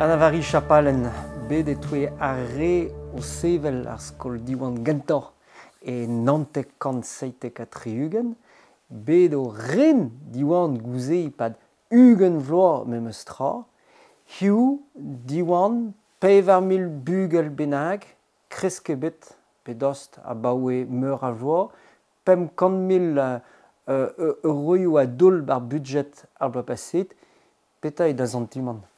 Anna-Vari Chapalen, bet e-touez ar re o sevel ar skol Diwan gentañ e 1977, bet o ren Diwan gouze e-pad 20 vloaz memes tra, hiziv Diwan 4000 bugel bennak, kresk ebet pe dost abaoe meur a vloaz, 500 000 euroioù a doull ar budjed ar bloaz paseet. Petra eo da santimant?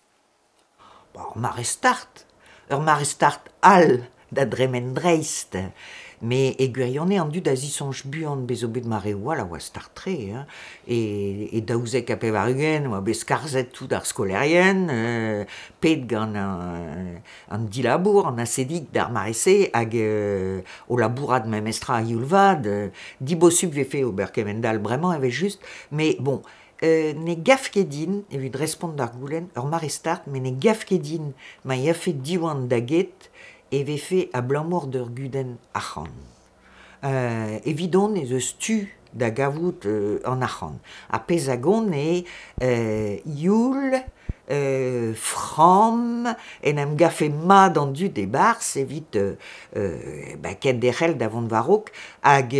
Ur mare start, ur mare start all da dremen dreist. Met e gwirionez an dud a zisoñj buan bez zo bet mareoù all a oa start-tre hein. E 92 oa bet skarzhet tout ar skolaerien, pet gant an dilabour, an ASSEDIC d'ar mare-se hag o labourat memestra a-youl vat. Dibosupl 'vefe ober kement-all bremañ evel-just, met bon, ne gav ket din, evit respont d'ar goulenn, ur mare start, met ne gav ket din ma yafe Diwan da get e vefe abalamour d'ur gudenn arc'hant. Evidon ez eus tu da gavout an arc'hant. Ar pezh a gont eo youl, framm, en em gavfe mat an dud e-barzh evit kenderc'hel da vont war-raok hag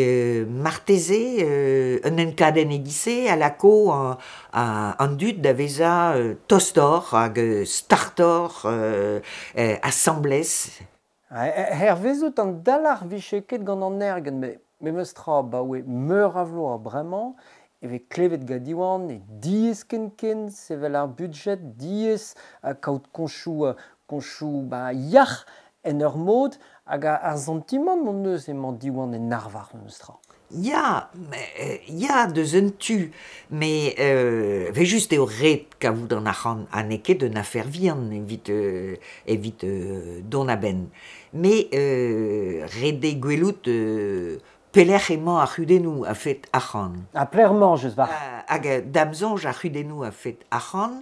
marteze un enkadenn e-giz-se a lako an dud da vezañ tostoc'h hag startoc'h asambles. Hervezout an dalc'h 'vije ket gant an ergenn met memes tra abaoe meur a vloaz bremañ e vez klevet gant Diwan eo diaes ken-ken sevel ar budjed, diaes kaout koñchoù koñchoù ba yac'h en ur mod hag ar santimant hon eus emañ Diwan en arvar memes tra. Ya, ya deus un tu, met evel-just eo ret kavout an arc'hant ha n'eo ket un afer vihan evit evit dont a-benn. Met ret eo gwelout pelec'h emañ ar c'hudennoù a-fet arc'hant. Ha pelec'h emañ just war? Hag da'm soñj ar c'hudennoù a-fet arc'hant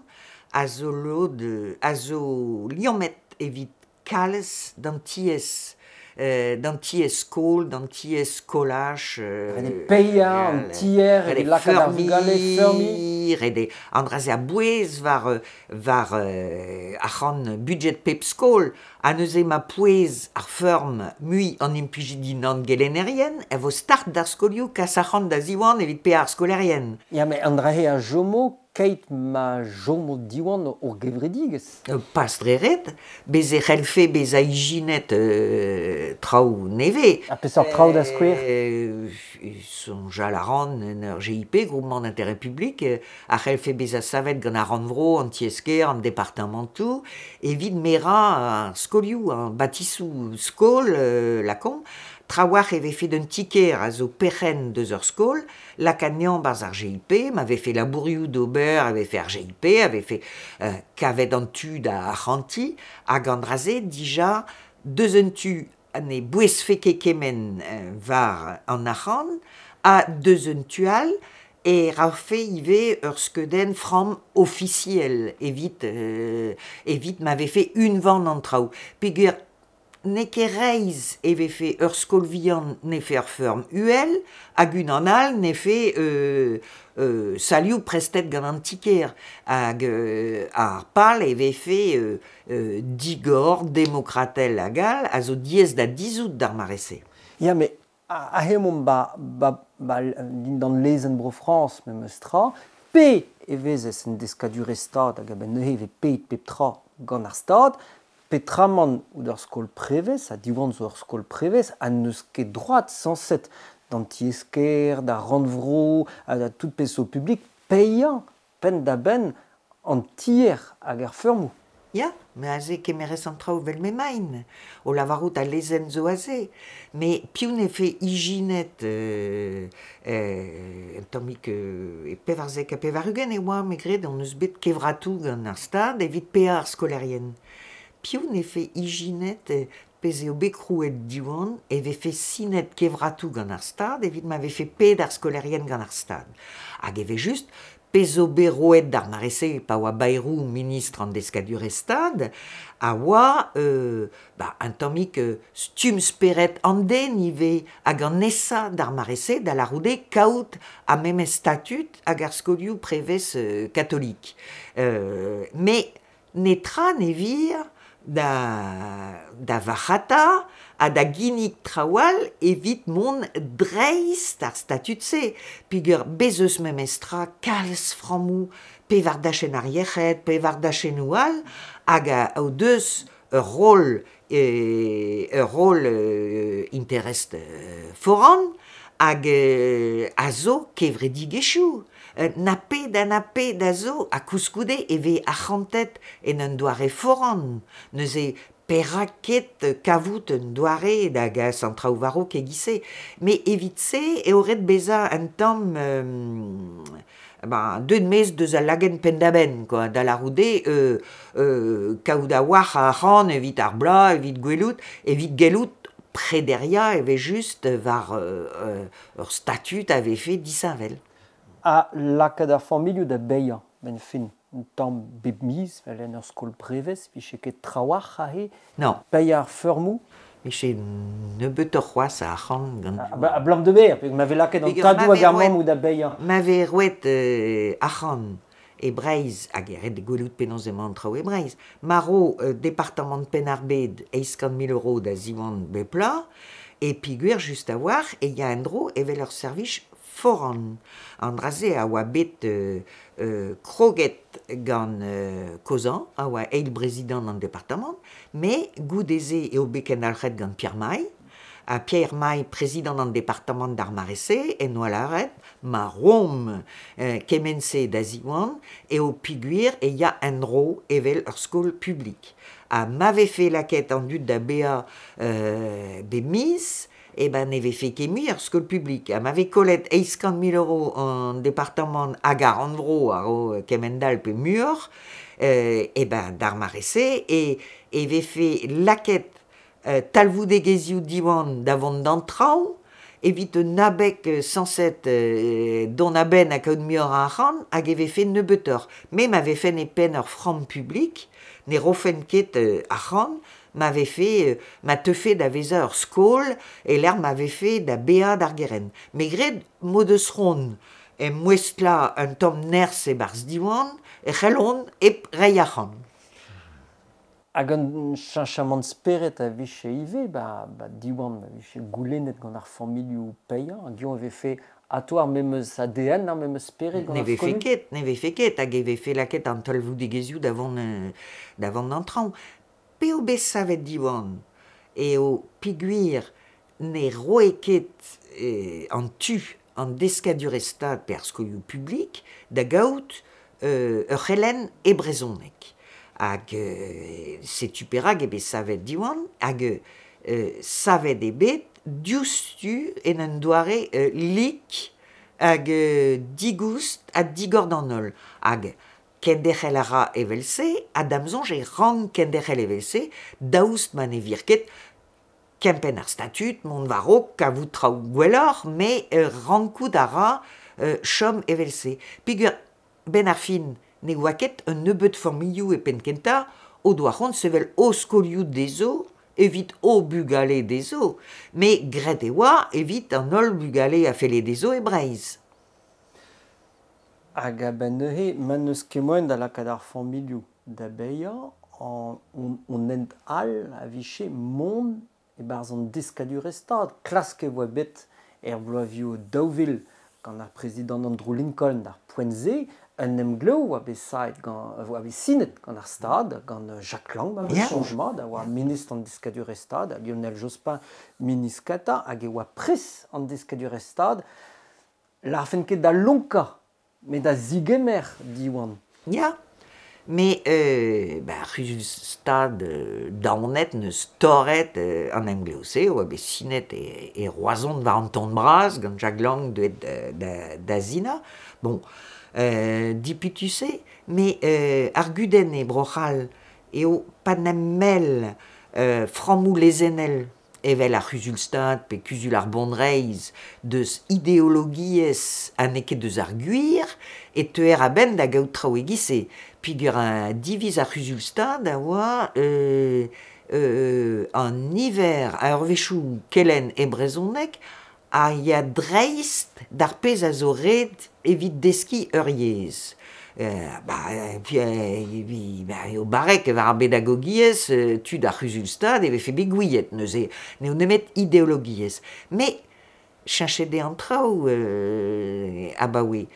a zo lod a zo liammet evit kalz d'an tiez, d'an tiez-skol, d'an tiez-skolaj. Ret eo paeañ an tier evit lakaat ar vugale feurmiñ. Ret eo an dra-se a-bouez war war arc'hant budjed pep skol ha neuze ma pouez ar feurm mui an implijidi nann-gelennerien e vo start d'ar skolioù kas arc'hant da Ziwan evit paeañ ar skolaerien. Ya, met an dra-se a chomo keit ma chomo Diwan ur gevredigezh. Pas dre ret, bez' e c'hellfe bezañ ijinet traoù nevez. Ha peseurt traoù da skouer? Soñjal a ran en ur GIP, Groupement d'intérêt public, a c'hellfe bezañ savet gant ar rannvro, an tiez-kêr, an departamantoù, evit merañ ar skolioù, ar batisoù skol, lakaomp. Trawalc'h e vefe d'un ti-kêr a zo perc'henn deus ur skol, lakaat anezhañ 'barzh ar GIP, ma vefe labourioù d'ober e vefe ar GIP, a vefe kavet an tu da arc'hantiñ, hag an dra-se dija deus un tu ne bouezfe ket kement war an arc'hant, ha deus un tu all e rafe ivez ur skeudenn framm ofisiel evit evit ma vefe unvan an traoù peogwir N'eo ket reizh e vefe ur skol vihan 'nefe ur feurm uhel hag unan all 'nefe salioù prestet gant an ti-kêr. Hag ar pal e vefe digor, demokratel hag all a zo diaes da dizhout d'ar mare-se. Ya, met aze emaomp ba, ba, ba dindan lezenn Bro-Frañs memes tra, pe e vezez en deskadurezh Stad hag a-benn neuze e vez paeet pep tra gant ar Stad, petramant out ur skol prevez, ha Diwan zo ur skol prevez, ha n'eus ket droad sañset d'an tiez-kêr, d'ar rannvro, ha da tout pezh zo publik, paeañ penn-da-benn an tier hag ar feurmoù. Ya, met aze kemerez an traoù 'vel m'emaint, o lavarout al lezenn zo aze. Met piv 'nefe ijinet un tammig e 94 e oa, me 'gred, hon eus bet kevratoù gant ar Stad evit paeañ ar skolaerien. Piv 'nefe ijinet pezh eo bet krouet Diwan e vefe sinet kevratoù gant ar Stad evit ma vefe paeet ar skolaerien gant ar Stad. Hag evel-just, pezh zo bet roet d'ar mare-se pa oa Bayrou ministr an deskadurezh Stad a oa bah, un tammig stumm spered an den ivez hag an nesañ d'ar mare-se da lârout eo kaout ar memes statud hag ar skolioù prevez katolik. Met Netra ne vir da varc'hata ha da ginnig traoù all evit mont dreist ar statud-se. Peogwir bez eus memestra kalz frammoù pe war dachenn ar yec'hed, pe war dachennoù all, hag o deus ur roll interest foran hag a zo kevredigezhioù. Na pet ha na pet a zo, ha koulskoude e vez arc'hantet en un doare foran. Neuze perak ket kavout un doare da gas an traoù war-raok e-giz-se. Met evit-se eo ret bezañ un tamm deuet maez deus al lagenn penn-da-benn, quoi, da lârout eo kaout a-walc'h a arc'hant evit ar bloaz, evit gwelout, evit gellout prederiañ evel-just war ur statud a vefe disheñvel. Ha lakaat ar familhoù da baeañ, 'benn fin, un tamm bep miz, 'vel en ur skol prevez, 'vije ket trawalc'h aze. Non. Paeañ ar feurmoù. 'Vije nebeutoc'h c'hoazh a arc'hant gant... Abalamour da ber, ma vez lakaet an tadoù hag ar mammoù da baeañ. Ma vez roet arc'hant e Breizh, hag e ret gwelout penaos emañ an traoù e Breizh, ma ro departamant Penn-ar-Bed 800 000 euros da Ziwan bep bloaz, e peogwir just a-walc'h e ya en-dro evel ur servij foran. An dra-se a oa bet kroget gant Kozan, a oa eil prezidant an departamant, met goude-se eo bet kendalc'het gant Pierre Maille, ha Pierre Maille, prezidant an departamant d'ar mare-se, en doa lâret ma roomp kement-se da Ziwan eo peogwir e ya en-dro evel ur skol publik. Ha ma vefe lakaet an dud da baeañ bep miz, eh ben ne vefe ket mui ar skol publik. Ha ma vez kollet 800 000 euros an departamant hag ar rannvro a ro kement-all pe muioc'h, eh ben d'ar mare-se e vefe lakaet talvoudegezhioù Diwan da vont d'an traoñ evit un abeg sañset dont a-benn ha kaout muioc'h a arc'hant hag e vefe nebeutoc'h. Me ma vefen e penn ur framm publik, ne rofen ket arc'hant ma vefe ma teufe da vezañ ur skol e-lec'h ma vefe da baeañ d'ar gerent. Me 'gred m'o deus c'hoant emouestlañ un tamm nerzh e-barzh Diwan e c'hellont hep reiñ arc'hant. Hag un cheñchamant spered a vije ivez ba Diwan, ma vije goulennet gant ar familhoù paeañ, hag eñ e vefe atav ar memes ADN, ar memes spered gant Ne ar vefe skolioù? ket, ne vefe ket, hag e vefe lakaet an talvoudegezhioù da vont d'an traoñ. P'eo bet savet Diwan eo peogwir ne roe ket an tu an deskadurezh stad pe ar skolioù publik da gaout ur c'helenn e brezhoneg. Hag setu perak eo bet savet Diwan, hag savet eo bet diouzhtu en un doare lik hag digoust ha digor d'an holl. Hag kenderc'hel a ra evel-se, ha da'm soñj e rank kenderc'hel evel-se, daoust ma ne vir ket kempenn ar statud, mont war-raok, kavout traoù gwelloc'h, met rankout a ra chom evel-se. Peogwir 'benn ar fin ne oa ket un nebeud familhoù e penn-kentañ o doa c'hoant sevel o skolioù dezho evit o bugale dezho, met graet e oa evit an holl bugale a felle dezho e Breizh. Hag a-benn neuze, ma n'eus ket moaien da lakaat ar familhoù da baeañ, an hent all a vije mont e-barzh an deskadurezh-stad. Klask e oa bet er bloavezhioù 2000 gant ar prezidant Andrew Lincoln d'ar poent-se, un emglev oa bet saet gant oa bet sinet gant ar Stad, gant Jacques Lang, ma Ya. soñj mat, a oa ministr an deskadurezh-stad, ha Lionel Jospin ministr kentañ, hag e oa pres an deskadurezh-stad. Lârfen ket da lonkañ, met da zigemer Diwan. Ya, met ar c'huzul-stad daonet n'eus torret an emglev-se, oa bet sinet e Roazhon war an ton bras gant Jacques Lang deuet da sinañ. Bon, dipitus eo, met ar gudenn e Bro-C'hall eo pa n'em frammoù lezennel evel ar c'huzul-stad pe kuzul ar bonreizh deus ideologiezh ha n'eo ket deus ar gwir e teuer a-benn da gaout traoù e-giz-se. Peogwir diviz ar c'huzul-stad a oa an niver a eurvezhioù kelenn e brezhoneg a ya dreist d'ar pezh a zo ret evit deskiñ ur yezh. Ba, puis, ba, eo barrek war ar bedagogiezh, tud ar c'huzul-stad e vefe bet gouiet neuze, n'eo nemet ideologiezh. Mais cheñchet eo an traoù abaoe.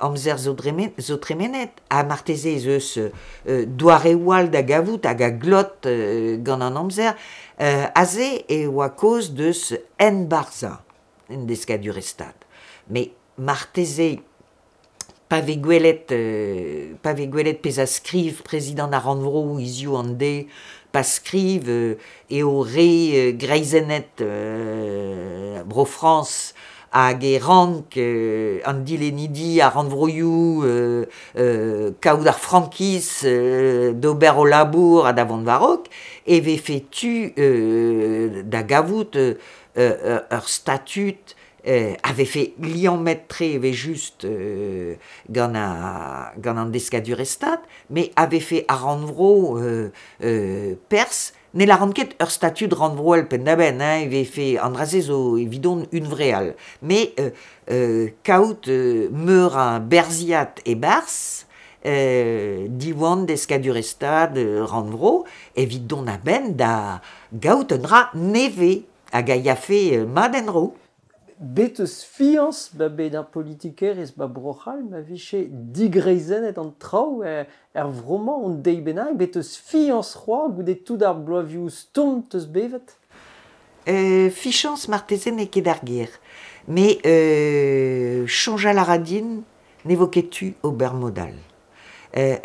Amzer zo, zo tremenet, ha marteze ez eus doareoù all da gavout hag a glot gant an amzer. Aze e oa kaoz deus enbarzhañ en deskadurezh stad. Mais marteze pa vez gwelet pa vez gwelet pezh a skriv prezidant ar rannvro hiziv an deiz, pa skriv eo re greizennet Bro-Frañs hag e rank an dilennidi ar rannvroioù kaout ar frankiz d'ober o labour ha da vont war-raok, e vefe tu da gavout ur statud a vefe liammet-tre evel-just gant gant an deskadurezh-stad, met a vefe ar rannvro perzh. Ne lâran ket ur statud rannvroel penn-da-benn, hein, e vefe an dra-se zo evidon hunvreal. Met kaout meur a berzhiad e-barzh, Diwan deskadurezh-stad rannvro, evit dont a-benn da gaout un dra nevez hag a yafe mat en-dro. Bet eus fiañs ba bet ar politikerezh ba Bro-C'hall ma vije digreizennet an traoù er vro-mañ un deiz bennak, bet eus fiañs c'hoazh goude tout ar bloavezhioù stourm 'teus bevet? Fichañs marteze n'eo ket ar ger, met soñjal a ra din ne vo ket tu ober mod all.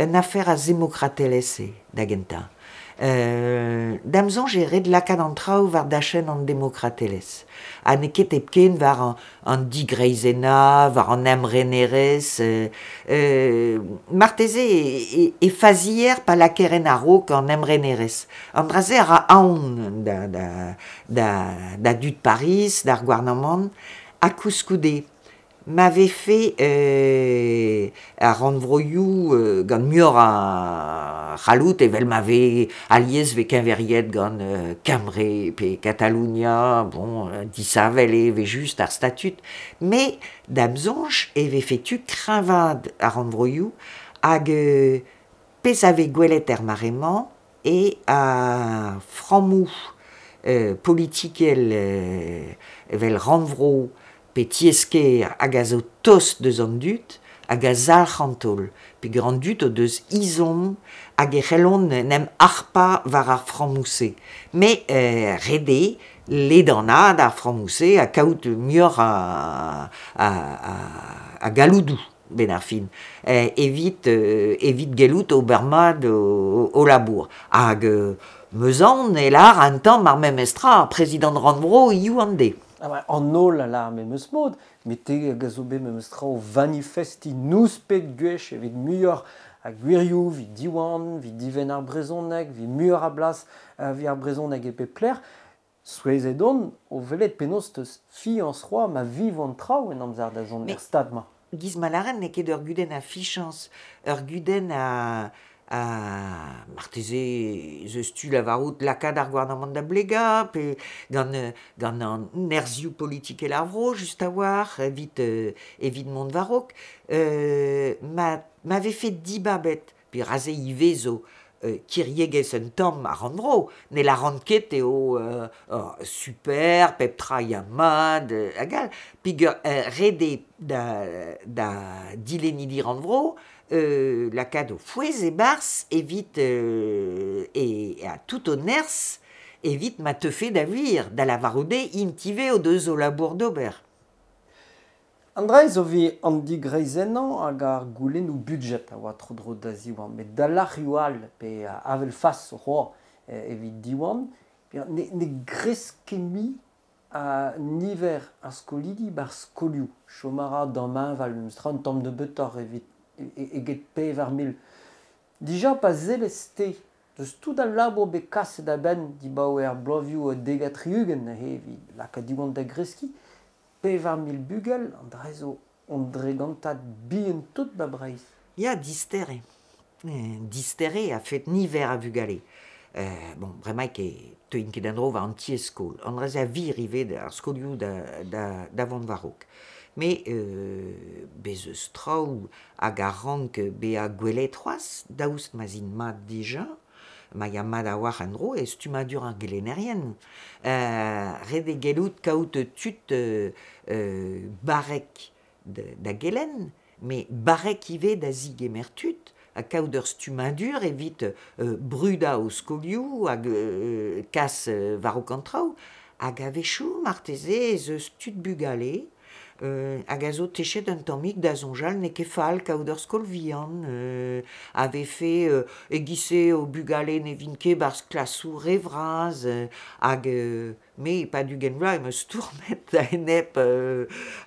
Un afer a zemokratelezh eo da gentañ. Da'm soñj eo ret lakaat an traoù war dachenn an demokratelezh ha n'eo ket hepken war an digreizennañ, war an emrenerezh. Marteze e fazier pa lakaer en a-raok an emrenerezh. An dra-se a ra aon da dud Pariz, d'ar gouarnamant, ha koulskoude Ma vefe ar rannvroioù gant muioc'h a c'halloud evel ma vez alies vez keñveriet gant Kembre pe Katalonia, bon, disheñvel eo evel-just ar statud, met da'm soñj e vefe tu kreñvaat ar rannvroioù hag pezh a vez gwelet er mare-mañ eo ar frammoù politikel evel rannvro pe tiez-kêr hag a zo tost deus an dud hag a zalc'h an taol peogwir an dud o deus ezhomm hag e c'hellont en em harpañ war ar frammoù-se. Met ret eo ledanaat ar frammoù-se ha kaout muioc'h a galloudoù 'benn ar fin evit evit gellout ober mat o labour. Hag 'm eus aon e lâr un tamm ar memes tra ar prezidant rannvro hiziv an deiz. An holl a lâr memes mod, met te hag a zo bet memes tra o vanifestiñ nouspet gwech evit muioc'h a gwirioù, evit Diwan, evit divenn ar brezhoneg, evit muioc'h a blas evit ar brezhoneg e pep lec'h. Souezhet on o welet penaos 'teus fiañs c'hoazh ma vivo an traoù en amzer da zont er stad-mañ. Giz ma lâren n'eo ket ur gudenn a fichañs, ur gudenn a Ha marteze ez eus tu lavarout lakaat ar gouarnamant da blegañ pe gant gant an nerzhioù politikel ar vro just a-walc'h evit evit mont war-raok. Ma ma vefe dibabet pe aze ivez zo kiriegezh un tamm ar rannvro ne lâran ket eo super pep tra ya mat hag all peogwir ret eo da da dilennidi rannvro lakaat o fouez e-barzh evit e ha tout o nerzh evit ma teufe da wir, da lavarout eo int ivez o deus o labour d'ober. An dra zo evit an digreizennañ hag ar goulennoù budjed a oa tro-dro da Ziwan, met da lec'hioù all pe avel fas c'hoazh evit Diwan, ne gresk ket mui a niver ar skolidi 'barzh skolioù. Chom a ra damheñvel memestra un tamm nebeutoc'h evit eget 4000. Dija pa sellez-te deus tout al labour bet kaset a-benn dibaoe ar bloavezhioù 70 neuze evit lakaat Diwan da greskiñ, 4000 bugel, an dra zo un dregantad bihan-tout 'ba Breizh. Ya, dister eo. Dister eo a-fet niver a vugale. Bon, bremaik e teuin ket an dro war an tiez-skol. An dra-se a vir ivez ar skolioù da vont war-raok. Me bez eus traoù hag a rank bezañ gwelet c'hoazh, daoust ma'z int mat dija, ma ya mat a-walc'h en-dro e stummadur ar gelennerien. Ret eo gellout kaout tud barrek da gelenn, met barrek ivez da zigemer tud, ha kaout ur stummadur evit brudañ o skolioù hag kas war-raok an traoù. Hag a-wechoù marteze ez eus tud bugale hag a zo techet un tammig da soñjal n'eo ket fall kaout ur skol vihan, a vefe e-giz-se o bugale ne vint ket 'barzh klasoù re vras, hag me e-pad 20 vloaz em eus stourmet a-enep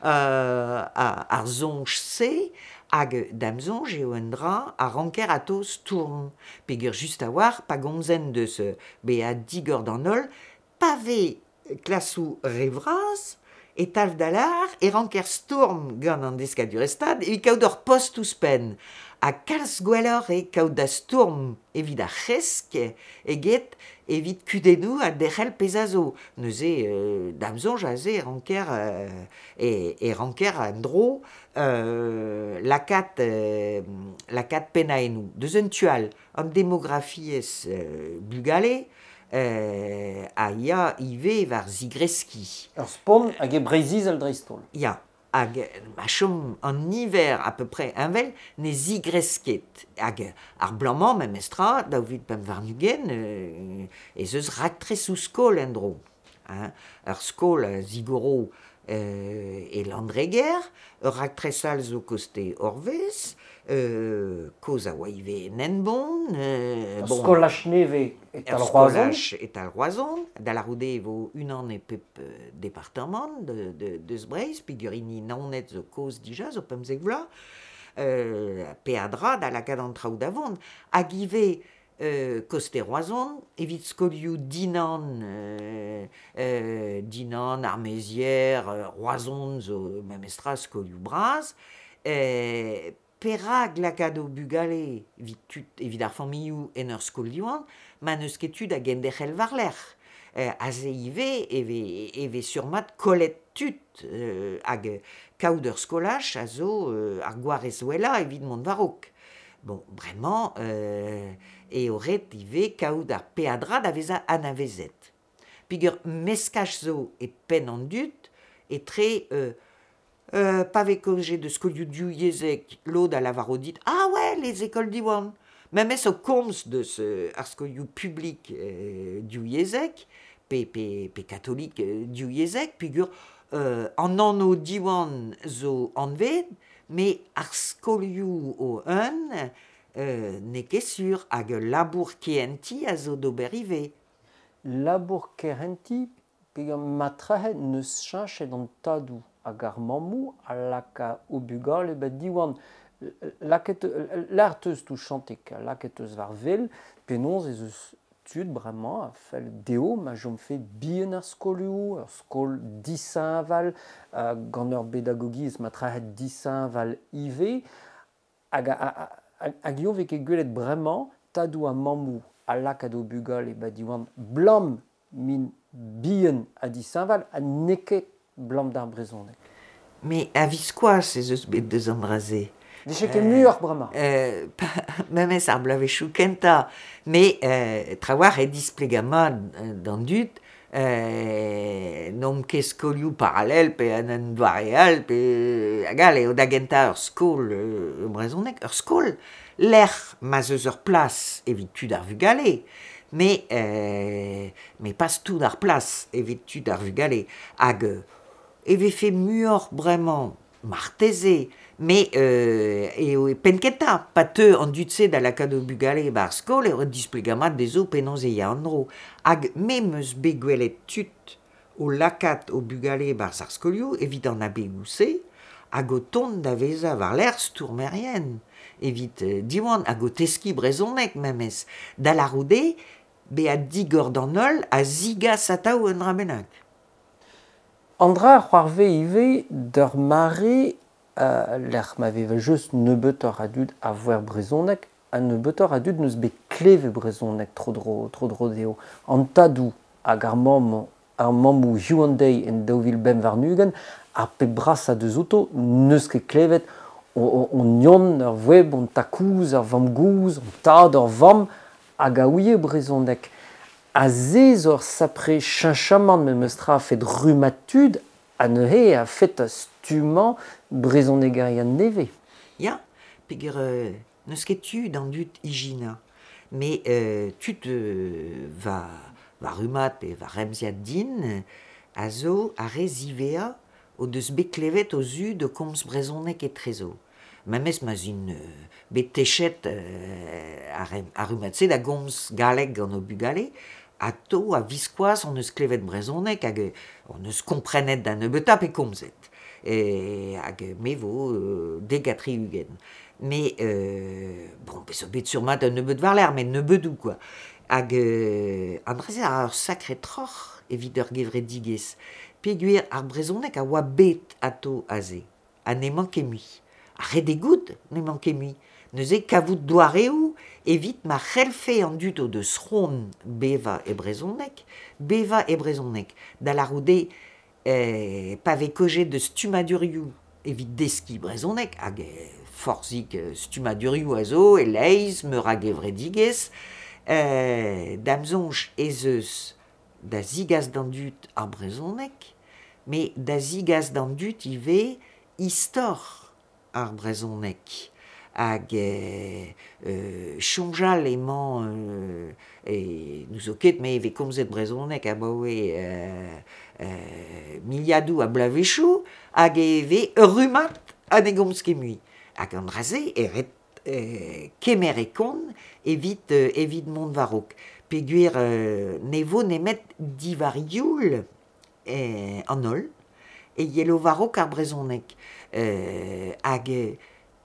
ar soñj-se, hag da'm soñj eo un dra a ranker atao stourm. Peogwir just a-walc'h pa gomzen deus bezañ digor d'an holl, pa vez klasoù re vras, e talv da lâr e ranker stourm gant an deskadurezh-stad evit kaout ur post ouzhpenn. Ha kalz gwelloc'h eo kaout da stourm evit ar c'hresk eget evit kudennoù ha derc'hel pezh a zo. Neuze, da'm soñj aze e ranker e ranker en-dro lakaat pennaennoù. Deus un tu all, an demografiezh bugale a ya ivez war zigreskiñ. Ur spont hag e Breizh-Izel dreist-holl. Ya, hag ma chom an niver à peu près heñvel ne zigresk ket. Hag ar bloaz-mañ memestra, 2025, ez eus raktresoù skol en-dro. Hein. Ur skol a zigoro e Landreger, ur raktres all zo koste Orvez, kozh a oa ivez en Henbont. Ur skolaj nevez e-tal Roazhon. Ur skolaj e-tal Roazhon, da lârout eo e vo unan e pep departamant deus Breizh, peogwir hini Naoned zo kozh dija, zo 15 vloaz. Peadra da lakaat an traoù da vont. Hag ivez koste Roazhon, evit skolioù Dinan, Dinan, ar Mezier, Roazhon zo memestra skolioù bras. Perak lakaat o bugale evit tud, evit ar familhoù en ur skol Diwan ma n'eus ket tu da genderc'hel war-lerc'h? Aze ivez e vez sur-mat kollet tud hag kaout ur skolaj a zo ar gwarez wellañ evit mont war-raok. Bon, bremañ eo ret ivez kaout ar peadra da vezañ anavezet. Peogwir meskaj zo e penn an dud etre pa vez kaojet deus skolioù divyezhek, lod a lavaro dit ah ouais, les écoles Diwan. Memes o komz deus ar skolioù publik divyezhek pe katolik divyezhek, peogwir an anv Diwan zo anvet, met ar skolioù o-un n'eo ket sur hag ul labour kehentiñ a zo d'ober ivez. Labour kehentiñ, peogwir matrehe n'eus cheñchet an tadoù hag ar mammoù a laka o bugale ba Diwan. Lakaet lâr 'teus touchantik, lakaet eus war wel penaos ez eus tud bremañ a fell dezho ma chomfe bihan ar skolioù, ur skol disheñvel, gant ur bedagogiezh matrehe disheñvel ivez. Hag eo vez ket gwelet bremañ tadoù ha mammoù a lakaat o bugale ba Diwan blam m'int bihan ha disheñvel ha n'eo ket blam d'ar brezhoneg. Mais a-viskoazh ez eus bet deus an dra-se. Vije ket muioc'h bremañ. Memes ar bloavezhioù kentañ. Mais trawalc'h eo displegañ mat d'an dud n'omp ket skolioù parallel pe en un doare all pe hag all eo da gentañ ur skol brezhoneg, ur skol lec'h ma'z eus ur plas evit tud ar vugale. Mais pas tout ar plas evit tud ar vugale. Hag e vefe muioc'h bremañ marteze, met eo e penn-kentañ, pa teu an dud-se da lakaat o bugale e-barzh skol eo ret displegañ mat dezho penaos e ya an dro. Hag me 'm eus bet gwelet tud o lakaat o bugale e-barzh ar skolioù evit an abegoù-se hag o tont da vezañ war-lerc'h stourmerien evit Diwan hag o teskiñ brezhoneg memes. Da lârout eo bezañ digor d'an holl a zigas atav un dra bennak. An dra a c'hoarvez ivez d'ur mare lec'h ma vez just nebeutoc'h a dud a voer brezhoneg ha nebeutoc'h a dud n'eus bet kleve brezhoneg tro-dro dezho. An tadoù hag ar mammoù hiziv an deiz en 2025, ar pep brasañ deus outo n'eus ket klevet hon yon, ur web, hon takouz, ur vamm-gozh, hon tad, ur vamm, hag a ouie brezhoneg. Ha se zo ur sapre cheñchamant memes tra a-fet rummad tud ha neuze a-fet stummañ brezhonegerien nevez. Ya, peogwir n'eus ket tu d'an dud ijinañ. Mais tud va rummad pe va remziad din a zo ar re ziwezhañ o deus bet klevet o zud o komz brezhoneg etrezo. Memes ma'z int bet techet ar rummad-se da gomz galleg gant o bugale, atao a-viskoazh hon eus klevet brezhoneg hag hon eus komprenet da nebeutañ pe komzet. Hag me vo 70. Mais bon, bet zo bet sur-mat un nebeud war-lerc'h, met nebeudoù quoi. Hag an dra-se a ra ur sakre troc'h evit ur gevredigezh. Peogwir ar brezhoneg a oa bet atao aze, ha n'emañ ket mui. Ha ret eo goût n'emañ ket mui. Neuze kavout doareoù evit ma c'hellfe an dud o deus c'hoant bevañ e brezhoneg, bevañ e brezhoneg. Da lârout eo pa vez kaojet deus stummadurioù evit deskiñ brezhoneg, hag forzhik stummadurioù a zo e-leizh, meur a gevredigezh, da'm soñj ez eus da zigas d'an dud ar brezhoneg, met da zigas d'an dud ivez istor ar brezhoneg. Hag soñjal emañ n'ouzo ket me e vez komzet brezhoneg abaoe miliadoù a bloavezhioù hag e vez ur rummad ha ne gomz ket mui. Hag an dra-se e ret kemer e kont evit mont war-raok. Peogwir ne vo nemet diwar youl an holl e yelo war-raok ar brezhoneg. Hag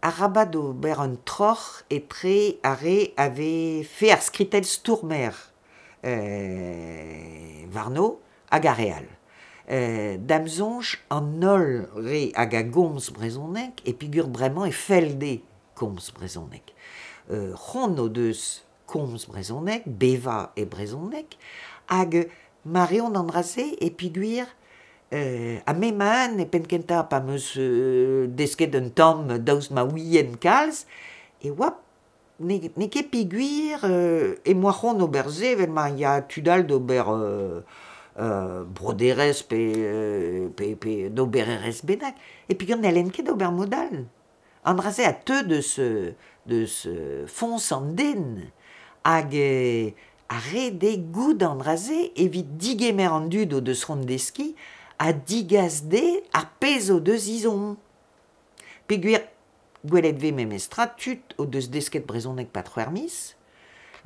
arabat ober un troc'h etre ar re a vefe ar skritell stourmer warno hag ar re all. Da'm soñj an holl re hag a gomz brezhoneg e peogwir bremañ e fell dezhe komz brezhoneg. C'hoant o deus komz brezhoneg, bevañ e brezhoneg, hag ma reont an dra-se e peogwir ha me ma-un e penn-kentañ pa 'm eus desket un tamm daoust ma ouien kalz, e oa n'eo ket peogwir em boa c'hoant ober se evel ma ya tud all d'ober broderezh pe d'obererezh bennak. E peogwir n'hellen ket ober mod all. An dra-se a teu deus foñs an den hag ar ret eo goût an dra-se evit digemer an dud o deus c'hoant deskiñ ha digas dezhe ar pezh o deus ezhomm. Peogwir gwelet 'vez memestra tud o deus desket brezhoneg 'pad c'hwec'h miz,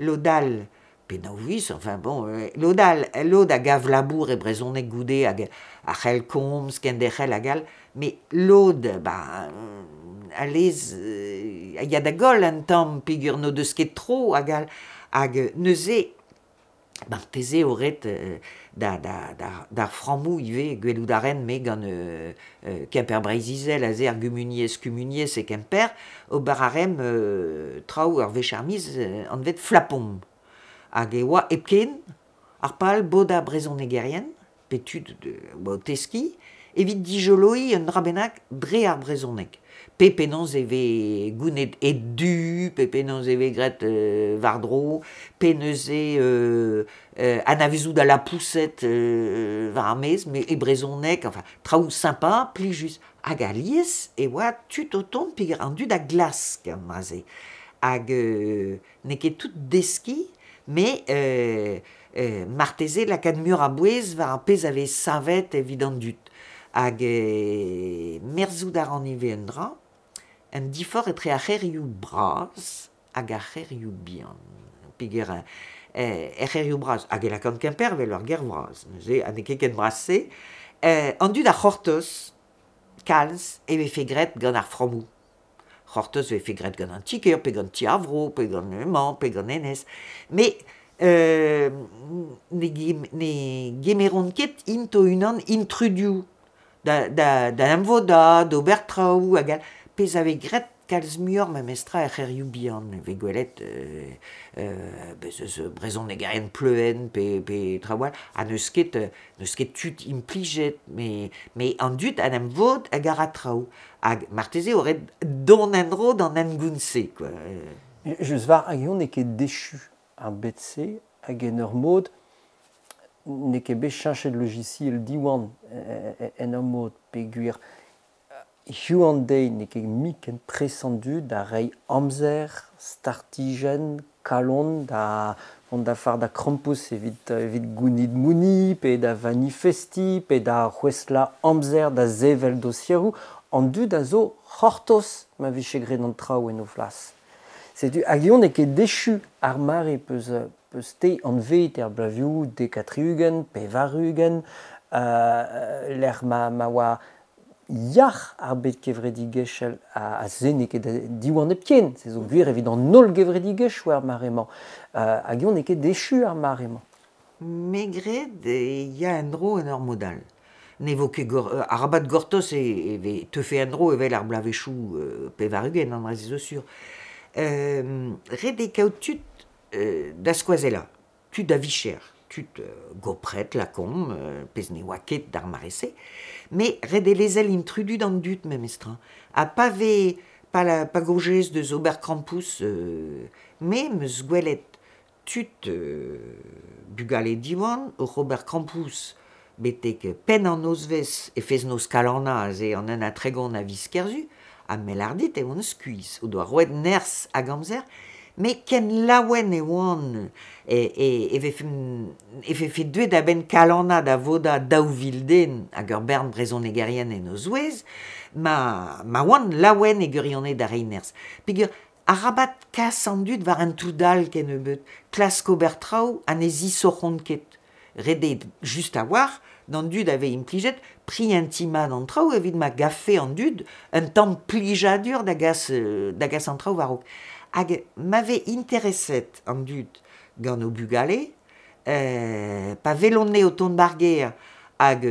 lod all pe nav viz, enfin bon, lod all lod a gav labour e brezhoneg goude hag a c'hell komz, kenderc'hel hag all, met lod ba a lez a ya da goll un tamm peogwir n'o deus ket tro hag all. Hag neuze marteze eo ret d'ar frammoù ivez gwelout a ren me gant Kemper Breizh-Izel aze ar gumuniezh-kumuniezh e Kemper ober a raemp traoù ur wech ar miz anvet flapomp. Hag e oa hepken ar pal bodañ brezhonegerien pe tud o teskiñ evit dijoloiñ un dra bennak dre ar brezhoneg. Pe penaos e vez gounid ed-du, pe penaos e vez graet war-dro, pe neuze anavezout al lapoused war ar maez, met e brezhoneg, enfin traoù sympa, plijus. Hag alies e oa tud o tont peogwir an dud a glask an dra-se. Hag n'eo ket tout deskiñ, met marteze lakaat muioc'h a bouez war ar pezh a vez savet evit an dud. Hag merzout a ran ivez un dra, un diforc'h etre ar c'hêrioù bras hag ar c'hêrioù bihan. Peogwir er c'hêrioù bras, hag e lakaan Kemper evel ur gêr vras, neuze ha n'eo ket ken bras-se, an dud a c'hortoz kalz e vefe graet gant ar frammoù. C'hortoz e vefe graet gant an ti-kêr, pe gant ti ar vro, pe gant hemañ, pe gant hennezh. Met ne gemeront ket int o-unan intrudu da emvodañ, d'ober traoù hag all. Pezh a vez graet kalz muioc'h memestra er c'hêrioù bihan e vez gwelet bez eus brezhonegerien Pleuen pe traoù all ha n'eus ket n'eus ket tud implijet met an dud en em vod hag a ra traoù hag marteze eo ret dont en-dro d'an hengoun-se quoi. Just war hag n'eo ket dechu ar bed-se hag en ur mod n'eo ket bet cheñchet logiciel Diwan en ur mod peogwir hiziv an deiz n'eo ket mui ken pres an dud da reiñ amzer, startijenn, kalon da vont da fardañ krampouezh evit gounit mouni pe da vanifestiñ pe da c'houestlañ amzer da sevel dosieroù. An dud a zo c'hortoz ma vije graet an traoù en o flas. Setu hag eñ n'eo ket echu ar mare peus te anvet er bloavezhioù dek ha tri-ugent, 80, lec'h ma oa yac'h ar bed kevredigezhel ha se n'eo ket Diwan hepken, se zo gwir evit an holl gevredigezhioù er mare-mañ. Hag eñ n'eo ket echu ar mare-mañ. Me 'gred e ya en-dro en ur mod all. Ne vo ket arabat gortoz e teufe en-dro evel ar bloavezhioù 80, an dra-se zo sur. Ret eo kaout tud da skoazellañ, tud a vicher, tud gopret lakaomp, pezh ne oa ket d'ar mare-se, met ret eo lezel intrudu d'an dud memestra. Ha pa vez pa gojez deus ober krampouezh, me 'm eus gwelet tud bugale Diwan oc'h ober krampouezh betek penn an nozvezh e fest-noz Kalanna aze an 31 a viz Kerzu, ha me 'lâr dit e oan skuizh, o doa roet nerzh hag amzer, met ken laouen e oan e vefe deuet a-benn Kalanna da vodañ 2000 den hag ur bern brezhonegerien en o zouez, ma oan laouen e gwirionez da reiñ nerzh. Peogwir arabat kas an dud war un toud all kennebeut, klask ober traoù ha ne zisoc'hont ket. Ret eo just a-walc'h d'an dud a vez implijet prientiñ mat an traoù evit ma gavfe an dud un tamm plijadur da gas an traoù war-raok. Hag ma vez intereset an dud gant o bugale, pa welont anezhe o tont d'ar gêr hag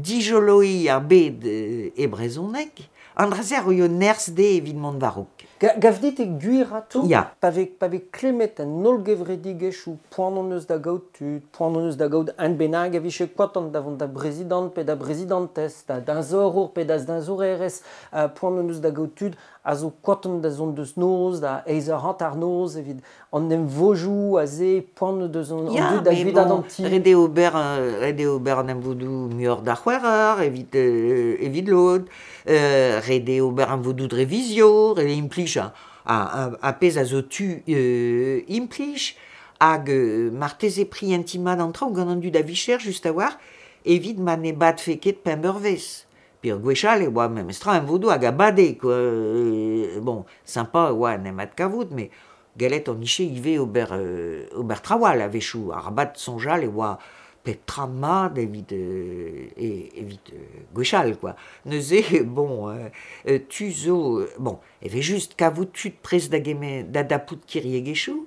dijoloiñ ar bed e brezhoneg, an dra-se a roio nerzh dezhe evit mont war-raok. Gav dit eo gwir atav? Ya. Pa vez klemmet an holl gevredigezhioù, poan hon eus da gaout tud, poan hon eus da gaout un bennak a vije kontant da vont da brezidant pe da brezidantez, da deñzorour pe da deñzorerez, poan hon eus da gaout tud a zo kontant da zont deus noz, da eizh eur hanternoz evit an emvodoù aze, poan deus an dud da guitaat an ti. Ret eo ober an emvodoù muioc'h da c'hwec'h eur evit lod, ret eo ober emvodoù dre vizio, ret eo implij ar pezh a zo tu implij, hag marteze prientiñ mat an traoù gant an dud a vicher just a-walc'h evit ma ne badfe ket pemp eurvezh. Peogwir gwechall e oa memestra emvodoù hag a bade quoi. Bon, sympa e oa en em adkavout, met gallet hon dije ivez ober traoù all a-wechoù. Arabat soñjal e oa pep tra mat evit gwechall quoi. Neuze, bon, tu zo... Bon, e vez just kavout tud prest da dapout kiriegezhioù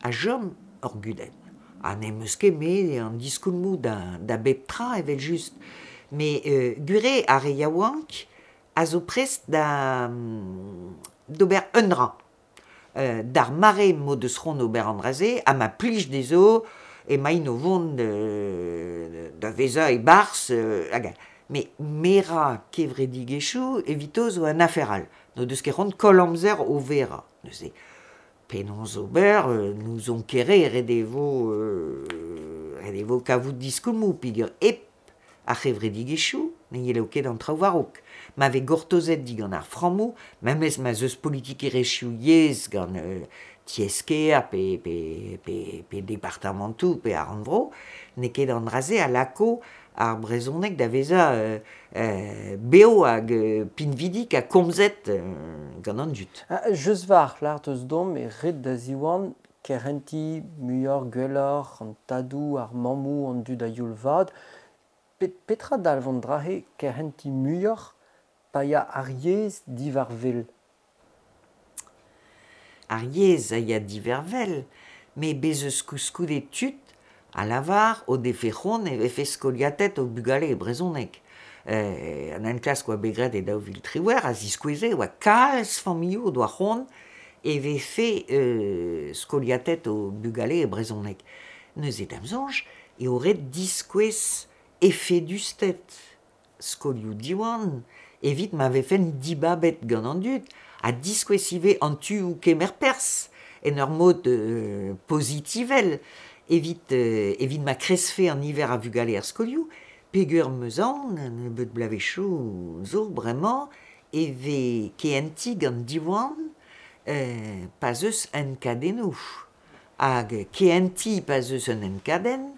a chom ur gudenn. Ha n'em eus ket me an diskoulmoù da bep tra evel-just. Met gwir eo ar re yaouank a zo prest d'ober un dra. D'ar mare m'o deus c'hoant ober an dra-se ha ma plij dezho emaint o vont da vezañ e-barzh hag all. Met merañ kevredigezhioù evito zo un afer all. N'o deus ket c'hoant koll amzer o verañ. Neuze, penaos ober, n'ouzon ket re, ret e vo kavout diskoulmoù peogwir hep ar c'hevredigezhioù ne yelo ket an traoù war-raok. Ma vez gortozet digant ar frammoù, memes ma 'z eus politikerezhioù yezh gant tiez-kêr pe departamantoù pe ar rannvro, n'eo ket an dra-se a lako ar brezhoneg da vezañ bev hag pinvidik ha komzet gant an dud. Just war lâret eus domp e ret da Ziwan kerentiñ muioc'h gwelloc'h an tadoù, ar mammoù, an dud a-youl vat. Petra dalv an dra-se kerentiñ muioc'h pa ya ar yezh diwar-wel? Ar yezh a ya diwar-wel, met bez' eus koulskoude tud a lavar o defe c'hoant e vefe skoliatet o bugale e brezhoneg. An enklask oa bet graet e 2018 a ziskoueze e oa kalz familhoù o doa c'hoant e vefe skoliatet o bugale e brezhoneg. Neuze da'm soñj eo ret diskouez efedusted skolioù Diwan evit ma vefent dibabet gant an dud ha diskouez ivez an tuoù kemer perzh en ur mod pozitivel evit evit ma kreskfe an niver a vugale er skolioù peogwir 'm eus aon un nebeud bloavezhioù zo bremañ e vez kehentiñ gant Diwan pa'z eus enkadennoù hag kehentiñ pa'z eus un enkadenn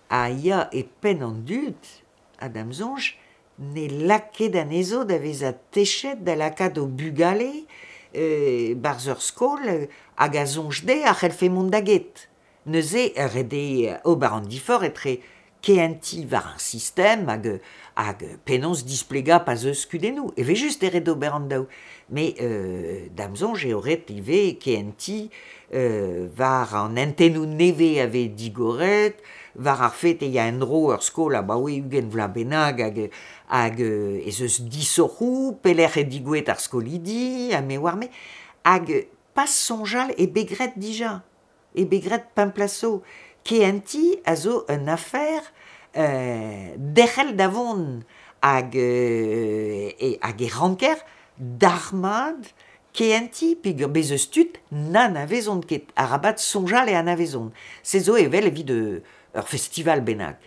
a ya e penn an dud ha da'm soñj ne lak ket anezho da vezañ techet da lakaat o bugale 'barzh ur skol hag a soñj dezhe a c'hellfe mont da get. Neuze ret eo ober an diforc'h etre kehentiñ war ar sistem hag hag penaos displegañ pa'z eus kudennoù. Evel-just eo ret ober an daou. Met da'm soñj eo ret ivez kehentiñ war an hentennoù nevez a vez digoret, war ar fet e ya en-dro ur skol abaoe 20 vloaz bennak hag hag ez eus disoc'hoù, pelec'h eo digouezhet ar skolidi ha me oar-me. Hag pas soñjal eo bet graet dija, eo bet graet pemp plas zo. Kehentiñ a zo un afer derc'hel da vont hag hag e ranker dalc'hmat kehentiñ peogwir bez' eus tud n'anavezont ket, arabat soñjal e anavezont. Se zo evel evit ur festival bennak.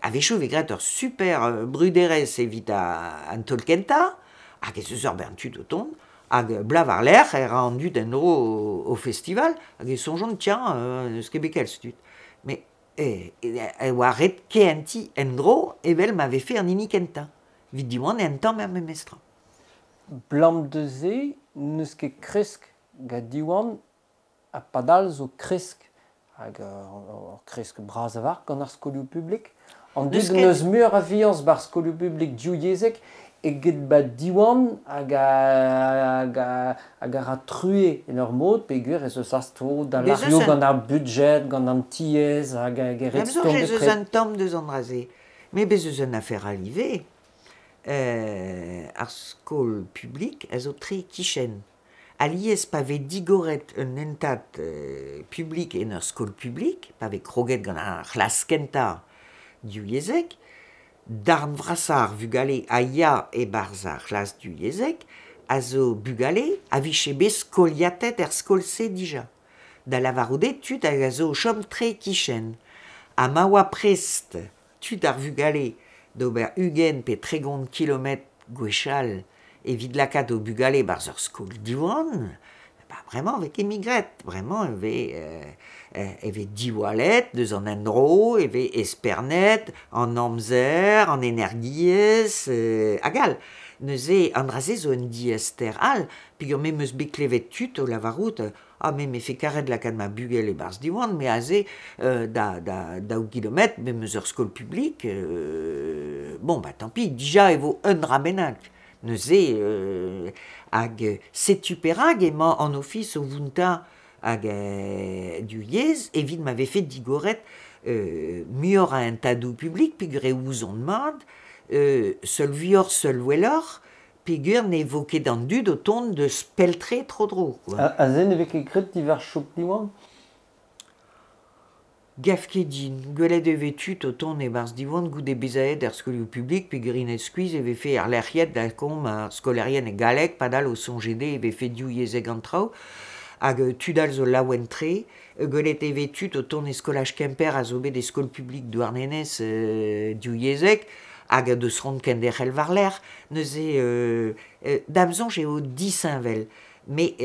A-wechoù e vez graet ur super bruderezh evit an taol kentañ hag ez eus ur bern tud o tont hag bloaz war-lerc'h e ra an dud en-dro o festival hag e soñjont tiens n'eus ket bet kalz tud. Met e oa ret kehentiñ en-dro evel ma vefe an hini kentañ. Evit Diwan eo un tamm er memes tra. Blam da se n'eus ket kresk gant Diwan ha padal zo kresk hag ur kresk bras a-walc'h gant ar skolioù publik. An dud n'eus muioc'h a fiañs 'ba'r skolioù publik divyezhek eget 'ba Diwan hag hag hag a ra truez en ur mod peogwir ez eus asto da lârio gant ar budjed, gant an tiez hag hag e ret stourm ez eus un tamm deus an dra-se. Met bez' eus un afer all ivez. Ar skol publik a zo tre e-kichen. Alies pa vez digoret un hentad publik en ur skol publik, pa vez kroget gant ar c'hlas kentañ divyezhek, darn vrasañ ar vugale a ya e-barzh ar c'hlas divyezhek a zo bugale a vije bet skoliatet er skol-se dija. Da lavarout eo tud hag a zo o chom tre e-kichen. Ha ma oa prest tud ar vugale d'ober 20 pe 30 kilometr gwechall evit lakaat o bugale e-barzh ur skol Diwan, ba bremañ e vez ket mui graet. Bremañ e vez e vez diwallet deus an endro, e vez espernet an amzer, an energiezh hag all. Neuze an dra-se zo un diaester all peogwir me 'm eus bet klevet tud o lavarout Ah me 'mefe karet lakaat ma bugel e-barzh Diwan, me aze da da daou gilometr, me 'm eus ur skol publik, bon bah tant pis, dija e vo un dra bennak. Neuze hag setu perak emañ an ofis o vountañ hag du yezh evit ma vefe digoret muioc'h a hentadoù publik peogwir e ouzont mat, seul vuioc'h seul welloc'h, Peogwir ne vo ket an dud o tont deus pell-tre tro-dro quoi. Aze ne vez ket graet diwar chouk Diwan? Gav ket din. Gwelet e vez tud o tont e-barzh Diwan goude bezañ aet er skolioù publik peogwir int skuizh e vefe erlec'hiet lakaomp ar skolaerien e galleg padal o soñje dezhe e vefe divyezhek an traoù. Hag tud all zo laouen-tre. Gwelet e vez tud o tont e skolaj Kemper a zo bet e skol publik Douarnenez divyezhek hag a deus c'hoant kenderc'hel war-lerc'h. Neuze da'm soñj eo disheñvel. Met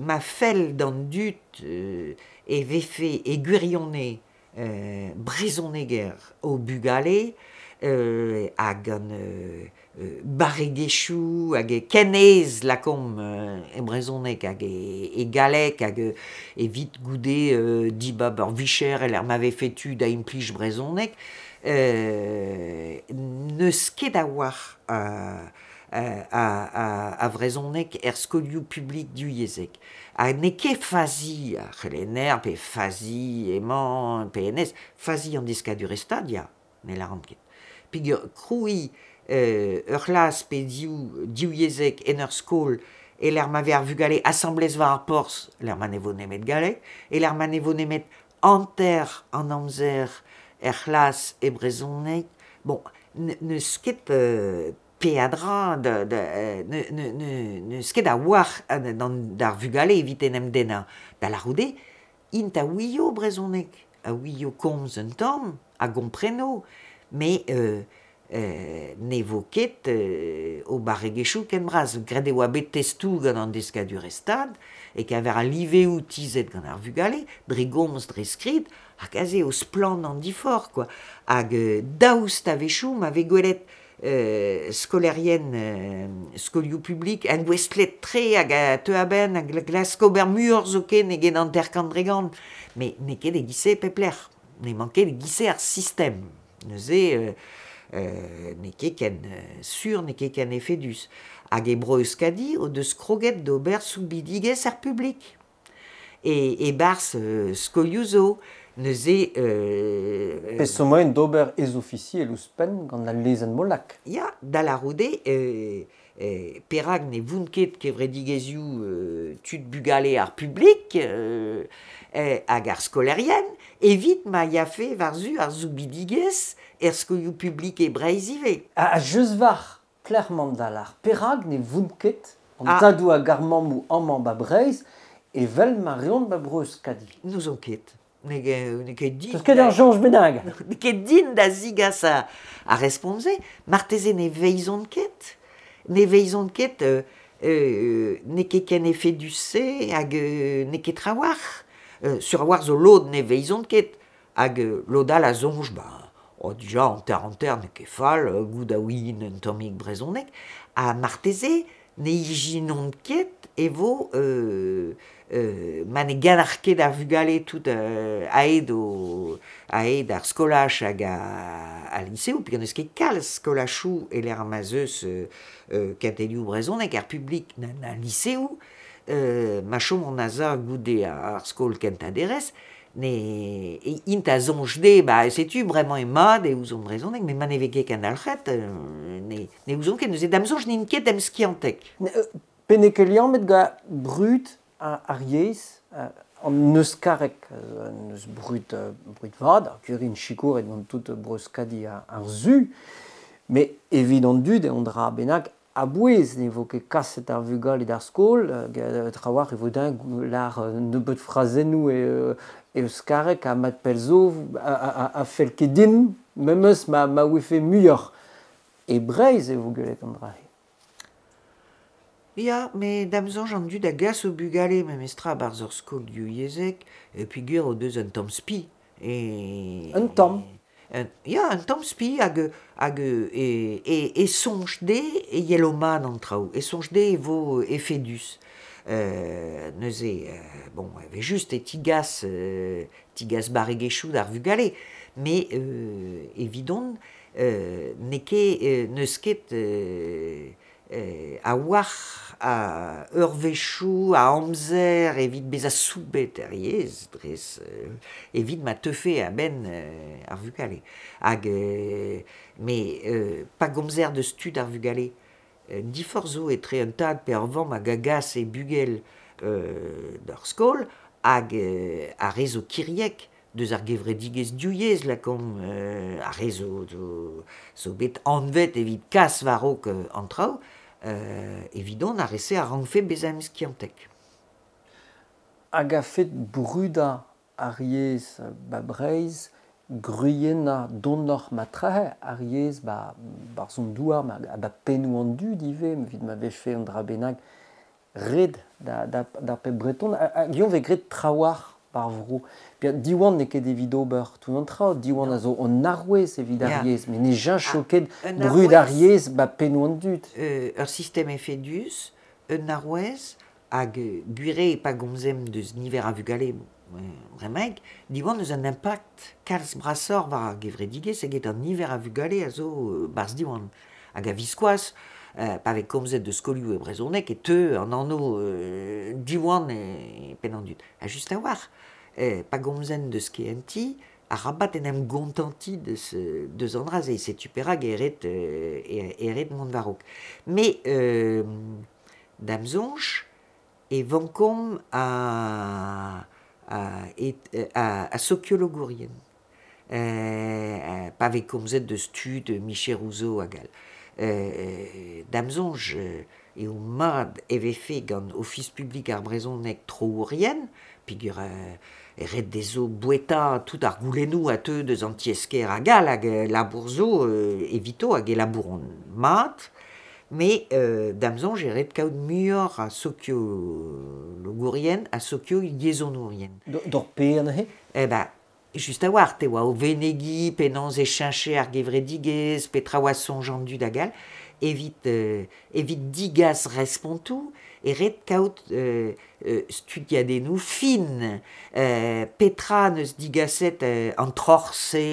ma fell d'an dud e vefe e gwirionez brezhoneger o bugale hag an barregezhioù hag ken aes lakaomp e brezhoneg hag e galleg hag evit goude dibab ur vicher e-lec'h ma vefe tu da implij brezhoneg n'eus ket a-walc'h a vrezhoneg er skolioù publik divyezhek. Ha n'eo ket fazi ar c'helenner pe fazi emañ pe hennezh, fazi an deskadurezh-stad ya, ne lâran ket. Peogwir krouiñ ur c'hlas pe div yezhek en ur skol e l'er ma vez ar vugale asamblez war ar porzh, l'er ma ne vo nemet galleg, e l'er ma ne vo nemet hanter an amzer er c'hlas e brezhoneg. Bon, n'eus ket peadra n'eus ket a-walc'h d'ar vugale evit en em dennañ. Da lârout eo, int a ouio brezhoneg, a ouio komz un tamm, a gompreno, met ne vo ket o barregezhioù ken bras. Graet e oa bet testoù gant an deskadurezh Stad e-keñver al liveoù tizhet gant ar vugale, dre gomz, dre skrid, hag aze eo splann an diforc'h kwa. Hag daoust a-wechoù ma vez gwelet skolaerien skolioù publik engouestlet-tre hag a teu a-benn a glask ober muioc'h zoken eget 50%. Met n'eo ket e-giz-se e pep lec'h. N'emañ ket e-giz-se ar sistem. Neuze n'eo ket ken sur, n'eo ket ken efedus. Hag e Bro-Euskadi o deus kroget d'ober soubidigezh ar publik. E-barzh skolioù zo. Neuze... Pezh zo moaien d'ober ez-ofisiel ouzhpenn gant al lezenn Molac. Ya, da lârout eo perak ne vont ket kevredigezhioù tud bugale ar publik hag ar skolaerien evit ma yafe war-zu ar soubidigezh er skolioù publik e Breizh ivez. Ha just war Clermont da lâr perak ne vont ket an tadoù hag ar mammoù amañ ba Breizh evel ma reont ba Bro-Euskadi. N'ouzon ket. N'eo ket din. N'eus ket ur soñj bennak. N'eo ket din da zigas ar respont-se. Marteze ne veizont ket. Ne veizont ket n'eo ket ken efedus-se hag n'eo ket trawalc'h. Sur a-walc'h zo lod ne veizont ket. Hag lod all a soñj, ba, oh, dija hanter-hanter n'eo ket fall, goût a ouien un tammig brezhoneg. Ha marteze ne ijinont ket e vo ma ne ganar ket ar vugale tout aet ar skolaj hag al liseoù, peogwir n'eus ket kalz skolajoù e-lec'h ma 'z eus kentelioù brezhoneg ar publik na liseoù, ma chomont a-za goude ar skol kentañ derez, ne int a soñj dezhe, ba setu bremañ eo mat e ouzont brezhoneg, met ma ne vez ket kendalc'het, ne ouzont ket, neuze da'm soñj n'int ket emskiantek. Pe n'eo ket liammet gant brud ar yezh, an euskareg, neus brud vat, ar gwir sikouret gant tout Bro-Euskadi ar Su, met evit an dud eo an dra bennak a-bouez ne vo ket kaset ar vugale d'ar skol, trawalc'h e vo din lâr nebeut frazennoù e euskareg ha mat pell zo a fell ket din, memes ma ouefe muioc'h. E Breizh e vo gwelet an dra-se. Ya, met da'm soñj an dud a gas o bugale memestra a-barzh ur skol divyezhek peogwir o deus un tamm spi. Un tamm? Ya, un tamm spi hag e soñj dezhe e yelo mat an traoù, e soñj dezhe e vo efedus. Neuze, bon, evel-just e tigas barregezhioù d'ar vugale, met evidon n'eo ket n'eus ket a-walc'h a eurvezhioù, a amzer evit bezañ soubet er yezh dres evit ma teufe a-benn ar vugale. Hag met pa gomzer deus tud ar vugale, diforc'h zo etre un tad pe ur vamm hag a gas e bugel d'ar skol hag ar re zo kiriek deus ar gevredigezh divyezh lakaomp ar re zo bet anvet evit kas war-raok an traoù, evidon ar re-se a rankfe bezañ emskiantek. Hag a-fet brudañ ar yezh ba Breizh, gwriennañ donoc'h ma trahe ar yezh barzh an douar ha ba pennoù an dud ivez, evit ma vefe un dra bennak ret d'ar pep breton. Hag eñ vez graet trawalc'h par vro. Diwan n'eo ket evit ober tout an traoù, Diwan a zo an arouez evit ar yezh, met ne cheñcho ket brud ar yezh ba pennoù an dud. Ur sistem efedus, un arouez, hag gwir eo pa gomzemp deus niver a vugale bremaik, Diwan eus un impact kalz brasoc'h war ar gevredigezh eget an niver a vugale a zo barzh Diwan. Hag a-viskoazh, pa vez komzet deus skolioù e brezhoneg e teu an anv Diwan e penn an dud. Ha just a-walc'h, pa gomzen deus KNT, Arabat en em gontanti deus an dra-se, setu perak e ret, e ret mont war-raok. Me, da'm soñj, e vankomp a, a, a, a sokiologourien. Pa vez komzet deus tud, micheroù zo hag all. Da'm soñj eo mat e vefe gant Ofis publik ar brezhoneg troourien, peogwir e ret dezho boueta tout ar goulennoù a teu deus an tiez-kêr hag all hag labour zo evito hag e labouront mat, met da'm soñj e ret kaout muioc'h a sokiologourien ha sokio-yezhonourien. D'hor pe anezhe? Eh ben, just a-walc'h, te oa o venegiñ penaos e cheñche ar gevredigezh, petra oa soñj an dud hag all, evit, evit digas respontoù e ret kaout studiadennoù fin. Petra n'eus digaset an troc'h-se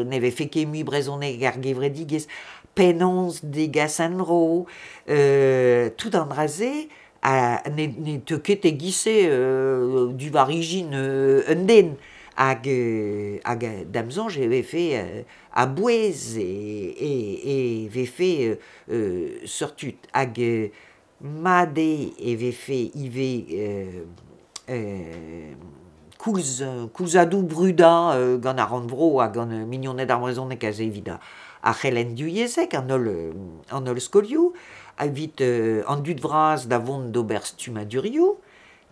ne vefe ket mui brezhoneg ar gevredigezh, penaos degas en-dro, tout an dra-se ha ne teu ket e-giz-se diwar ijin un den. Hag, hag da'm soñj e vefe a-bouez e vefe seurt tud. Hag mat eo e vefe ivez koulz koulzadoù brudañ gant ar rannvro ha gant mignoned ar brezhoneg aze evit ar c'helenn divyezhek, an holl, an holl skolioù, evit an dud vras da vont d'ober stummadurioù,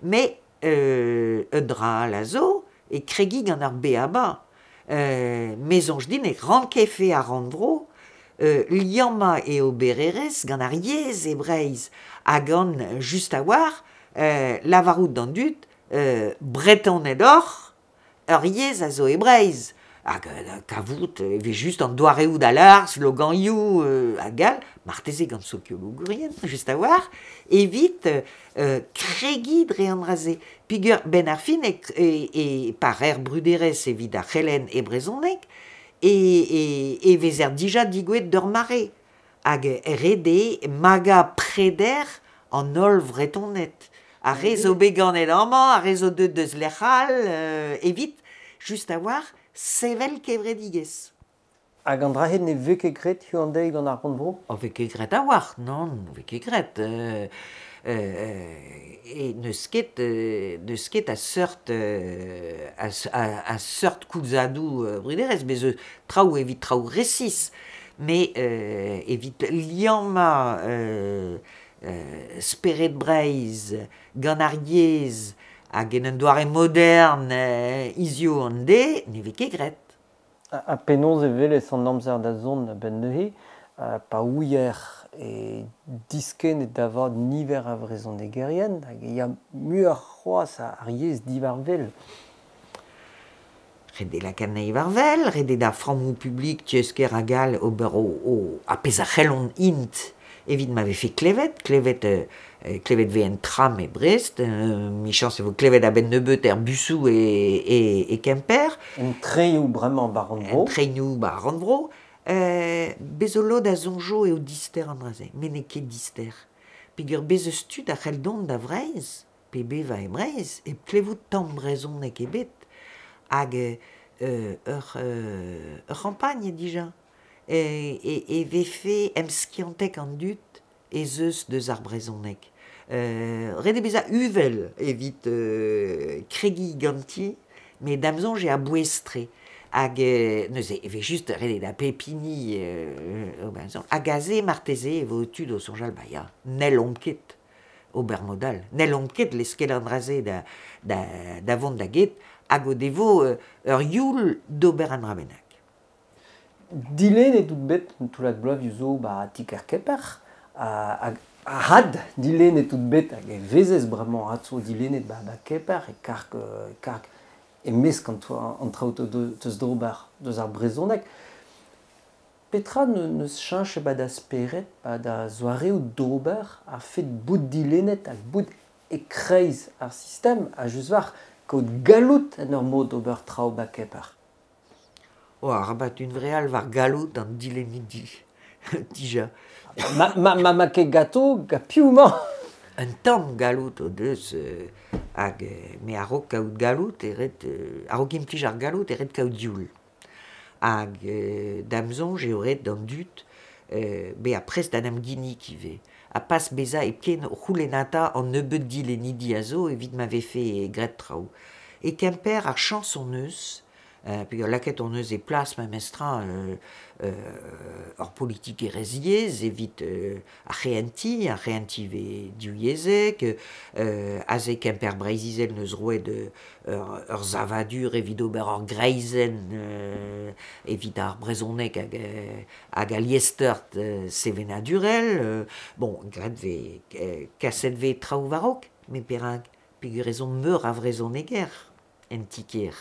met un dra all a zo, e kregiñ gant ar BABA. Me soñj din e rankefe ar rannvro liammañ e obererezh gant ar yezh e Breizh ha gant just a-walc'h lavarout d'an dud Bretoned oc'h, ur yezh a zo e Breizh. Hag kavout e vez just an doareoù da lâr, sloganioù hag all, marteze gant sokiologourien, just a-walc'h, evit kregiñ dre an dra-se. Peogwir 'benn ar fin e pa reer bruderezh evit ar c'helenn e brezhoneg e vezer dija digouezhet d'ur mare hag ret eo magañ preder an holl Vretoned. Ar re zo bet ganet amañ, ar re zo deuet deus lec'h all, evit just a-walc'h sevel kevredigezh. Hag an dra-se ne vez ket graet hiziv an deiz gant ar rannvro? O vez ket graet a-walc'h, nann, ne vez ket graet. E n'eus ket, n'eus ket a seurt, a seurt koulzadoù bruderezh, bez' eus traoù evit traoù resis, met evit liammañ spered Breizh gant ar yezh hag en un doare modern hiziv an deiz, ne vez ket graet. Ha penaos e welez an amzer da zont a-benn neuze, pa ouier e diskennet da vat niver a vrezhonegerien hag e ya muioc'h c'hoazh ar yezh diwar-wel? Ret eo lakaat anezhi war-wel, ret eo d'ar frammoù publik tiez-kêr hag all ober o ar pezh a c'hellont int evit ma vefe klevet, klevet klevet 'vez en tram e Brest, 'michañs e vo klevet a-benn nebeut er busoù e Kemper. En trenioù bremañ 'ba rannvro. En trenioù 'ba rannvro. Bez zo lod a soñjo eo dister an dra-se, met n'eo ket dister. Peogwir bez eus tud a c'hell dont da Vreizh, pe bevañ e Breizh, hep klevout tamm brezhoneg ebet. Hag ur ur c'hampagn eo dija. E vefe emskiantek an dud ez eus deus ar brezhoneg. Ret eo bezañ uvel evit kregiñ ganti, met da'm soñj eo a-bouez-tre. Hag neuze e vez just ret eo da pep hini ober soñj. Hag aze marteze e vo tud o soñjal ba ya, n'hellomp ket ober mod all. N'hellomp ket leskel an dra-se da, da, da vont da get hag o devo ur youl d'ober un dra bennak. Dilennet out bet un toullad bloavezhioù zo 'ba ti-kêr Kemper hag had dilennet out bet hag e vezez bremañ atzo dilennet 'ba Kemper e karg karg e-mesk an traoù teus d'ober deus ar brezhoneg. Petra n'eus cheñchet 'ba da spered, 'ba da zoareoù d'ober a-fet bout dilennet hag bout e-kreiz ar sistem ha just war kaout galloud en ur mod d'ober traoù 'ba Kemper? Oh, arabat hunvreal war galloud an dilennidi, dija. Ma, ma, ma, ma ket ganto, gant piv 'mañ? Un tamm galloud o deus Hag me a-raok kaout galloud e ret, a-raok implij ar galloud e ret kaout youl. Hag da'm soñj eo ret d'an dud bezañ prest da 'n em ginnig ivez. Ha pas bezañ hepken o c'houlennata an nebeud dilennidi a zo evit ma vefe graet traoù. E Kemper ar chañs hon eus peogwir lakaet hon eus e plas memestra ur politikerezh yezh evit ar c'hehentiñ, ar c'hehentiñ vez divyezhek, aze Kemper Breizh-Izel 'neus roet ur savadur evit ober ur greizenn evit ar brezhoneg hag al liesseurt sevenadurel. Bon, graet vez, kaset vez traoù war-raok, met perak? Peogwir ez omp meur a vrezhoneger en ti-kêr.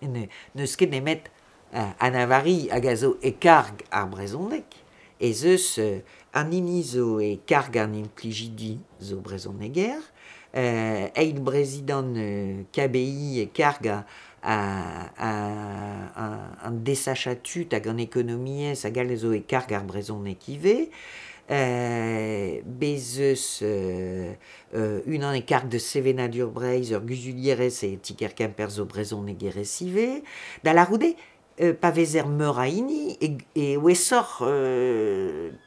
N'eus ket nemet Anna-Vari hag a zo e karg ar brezhoneg ez eus an hini zo e karg an implijidi zo brezhoneger, eil prezidant KBI e karg an desachañ tud hag an ekonomiezh hag all zo e karg ar brezhoneg ivez. Bez' eus unan e karg deus sevenadur Breizh, ur guzulierez e ti-kêr Kemper zo brezhonegerez ivez. Da lârout eo, pa vezer meur a hini e ouesoc'h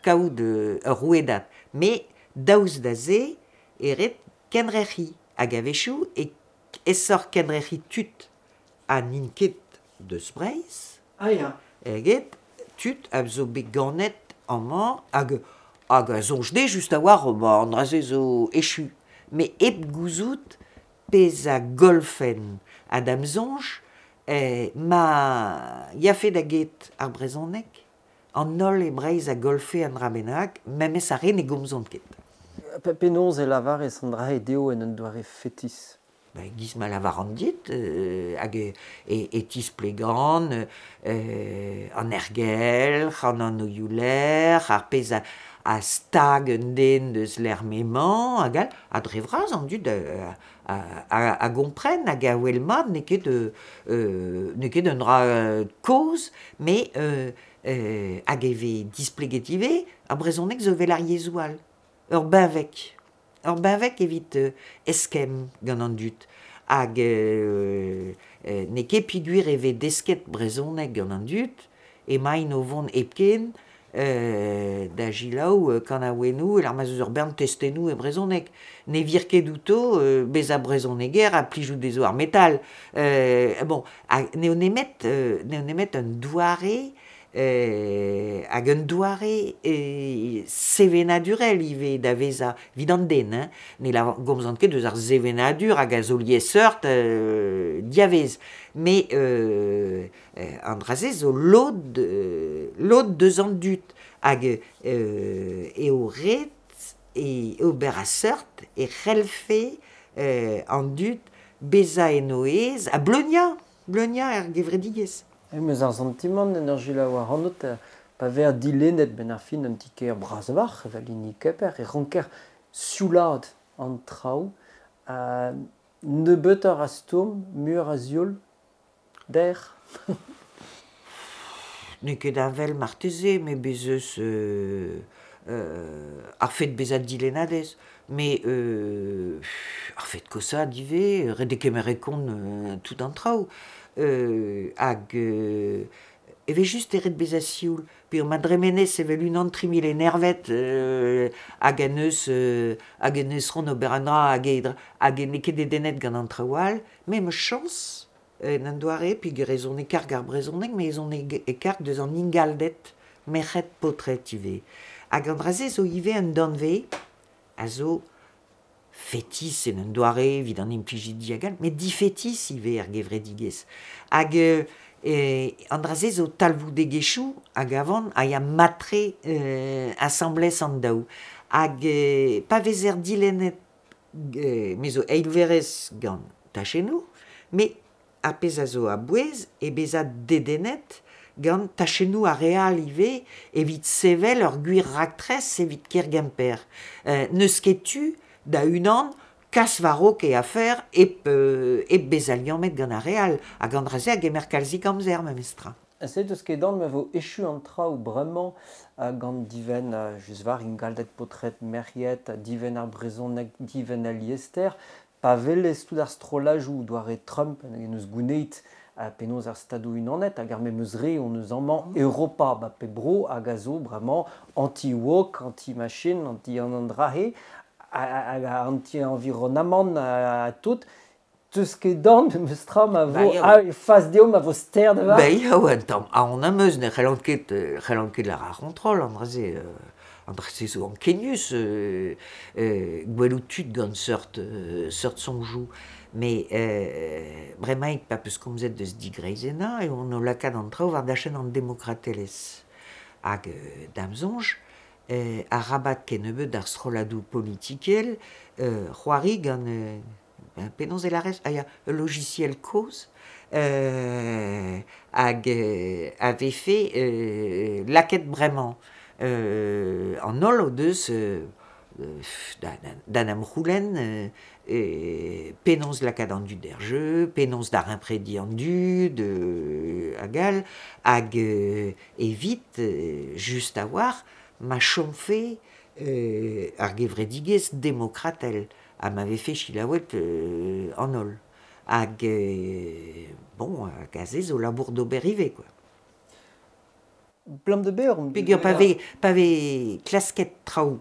kaout ur rouedad. Met daoust da se e ret kendrec'hiñ hag a-wechoù e aesoc'h kendrec'hiñ tud ha n'int ket deus Breizh Ah ya. eget tud a zo bet ganet amañ hag hag a soñj dezhe just a-walc'h ba an dra-se zo echu. Met hep gouzout pezh a gollfen ha da'm soñj ma yafe da get ar brezhoneg, an holl e Breizh a gollfe un dra bennak, memes ar re ne gomzont ket. Penaos e lavarez an dra-se dezho en un doare fetis? Ben, giz ma lavaran dit, hag e tisplegan an aergelc'h, an anvioù-lec'h, ar pezh a stag un den deus lec'h m'emañ hag all. Ha dre vras an dud a gompren hag a wel mat n'eo ket n'eo ket un dra kozh, met hag e vez displeget ivez, ar brezhoneg zo evel ar yezhoù all, ur benveg. Ur benveg evit eskemm gant an dud hag n'eo ket peogwir e vez desket brezhoneg gant an dud emaint o vont hepken da selaou kanaouennoù e-lec'h ma'z eus ur bern testennoù e brezhoneg. Ne vir ket outo bezañ brezhoneger ha plijout dezho ar metal. Bon, ha n'eo nemet n'eo nemet un doare hag un doare sevenadurel ivez da vezañ evit an den hein. Ne gomzan ket eus ar sevenadur hag a zo liesseurt diavez met an dra-se zo lod lod deus an dud hag eo ret e ober a seurt e c'hellfe an dud bezañ en o aez ha bleuniañ bleuniañ er gevredigezh. Em eus ar santimant en ur selaou ac'hanout pa vezer dilennet benn ar fin un ti-kêr bras-walc'h evel hini Kemper e ranker sioulaat an traoù. Nebeutoc'h a stourm, muioc'h a zioul, der. N'eo ket heñvel marteze, met bez' eus ar fed bezañ dilennadez. Met ar fed koshaat ivez, ret eo kemer e kont tout an traoù. Hag evel-just eo ret bezañ sioul peogwir ma dremenez evel unan 3000 enervet hag en deus hag en deus c'hoant ober un dra hag hag n'eo ket dedennet gant an traoù all. Me 'm eus chañs en un doare peogwir ez on e karg ar brezhoneg met ez on e karg deus an ingalded merc'hed paotred ivez. Hag an dra-se zo ivez un danvez a zo fetis en un doare evit an implijidi hag all, met difetis ivez er gevredigezh. Hag an dra-se zo talvoudegezhioù a gavan a ya mat-tre asambles an daou. Hag pa vezer dilennet, me zo eilverez gant tachennoù, met ar pezh a zo a-bouez eo bezañ dedennet gant tachennoù ar re all ivez evit sevel ur gwir raktres evit kêr Gemper. N'eus ket tu da unan kas war-raok e afer hep hep bezañ liammet gant ar re all hag an dra-se a gemer kalzik amzer memestra. Se deus ket anv ma vo echu an traoù bremañ gant divenn just war ingalded paotred merc'hed, divenn ar brezhoneg, divenn al liester. Pa welez tout ar strollajoù doare Trump en eus gouneit penaos ar Stadoù Unanet hag ar memes re hon eus amañ Europa ba pep bro hag a zo bremañ anti-woke, anti-machine, anti-an an dra-he hag anti-environamant ha tout. Teus ket dorn memes tra ma vo fas dezho ma vo ster da Ba ya, un tamm aon am eus, ne c'hellan ket c'hellan ket lâr ar c'hontrol, an dra-se an dra-se zo ankenius gwelout tud gant seurt seurt soñjoù. Mais bremaik pa peus komzet deus digreizennañ eo on o lakaat an traoù war dachenn an demokratelezh. Hag da'm soñj, arabat kennebeut d'ar strolladoù politikel c'hoari gant penaos e lârez Ah ya, ul logiciel kozh hag a vefe lakaet bremañ. An holl o deus da 'n em c'houlenn penaos lakaat an dud er jeu, penaos daremprediñ an dud hag all, hag evit just a-walc'h ma chomfe ar gevredigezh demokratel ha ma vefe selaouet an holl. Hag bon, hag aze zo labour d'ober ivez quoi. Blam de ber on Peogwir pa vez klasket traoù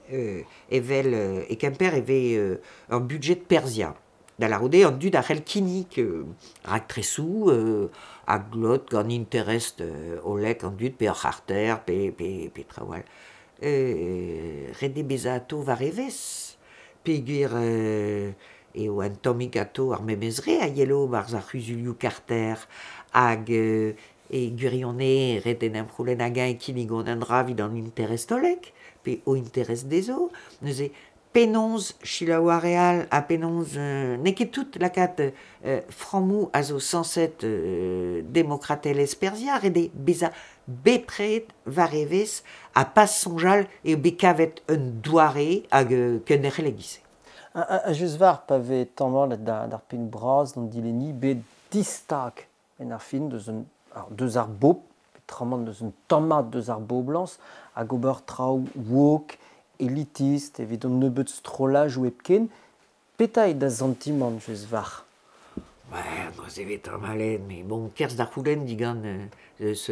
evel e Kemper e vez ur budjed perzhiañ. Da lârout eo an dud a c'hell kinnig raktresoù a glot gant interest hollek an dud pe ur c'harter pe traoù all. Ret eo bezañ atav war evezh peogwir eo un tammig atav ar memes re a yelo 'barzh ar c'huzulioù karter hag e gwirionez ret en em c'houlenn hag-eñ e kinnigont un dra evit an interest hollek pe o interest dezho. Neuze penaos selaou ar re all ha penaos n'eo ket tout lakaat frammoù a zo sañset demokratelezh perzhiañ, ret eo bezañ bepred war evezh ha pas soñjal eo bet kavet un doare hag kenderc'hel e-giz-se. Ha just war pa vez tamallet d'ar penn bras d'an dilenni bet distag en ar fin deus un deus ar bobl, peotramant deus un tammad deus ar boblañs hag ober traoù woke, elitist evit an nebeud strollajoù hepken. Petra eo da santimant just war? Ouais, neuze e vez tamallet, mais bon, kerzh da c'houlenn digant eus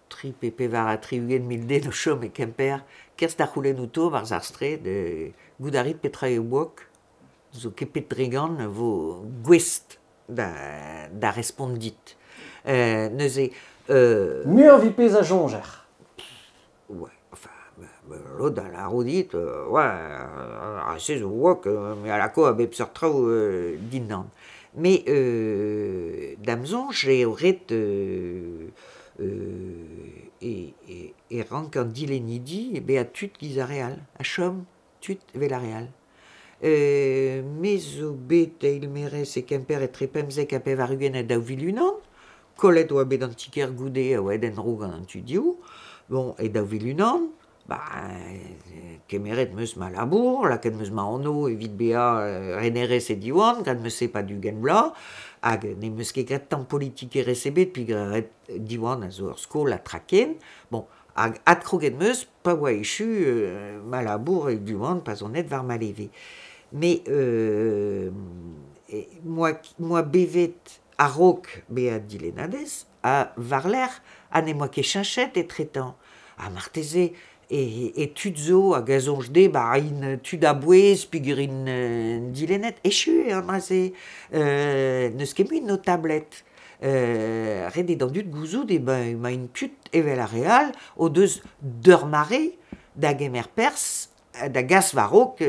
tri pe pevar ha 60 mil den o chom e Kemper, kerzh da c'houlenn outo 'barzh ar straed, goût a rit petra eo woke? Zo ket pet dre gant vo gouest da respont dit. Neuze... Muioc'h evit pezh a soñjer. Ouais, enfin, lod a lâro dit, ouais, ar se zo woke, me a lako a bep seurt traoù dindan. Mais da'm soñj eo ret e rank an dilennidi bezañ tud giz ar re all, ha chom tud evel ar re all. Me zo bet eilmaerez e Kemper etre 75 ha 2001, kollet oa bet an ti-kêr goude a oa aet en-dro gant an tudioù. Bon, e 2001, ba, kemeret 'm eus ma labour, lakaet 'm eus ma anv evit bezañ renerez e Diwan, graet 'm eus se 'pad 20 vloaz, hag n'em eus ket graet tamm politikerezh ebet peogwir Diwan a zo ur skol ha tra ken. Bon, hag adkroget 'm eus pa oa echu ma labour e Diwan pa'z on aet war ma leve. Mais 'moa bevet a-raok bezañ dilennadez ha war-lerc'h ha n'em boa ket cheñchet etretant. Ha marteze e tud zo hag a soñj dezhe ba int tud a-bouez peogwir int dilennet. Echu eo an dra-se. N'eus ket mui notabled. Ret eo d'an dud gouzout eo emaint tud evel ar re all o deus d'ur mare da gemer perzh da gas war-raok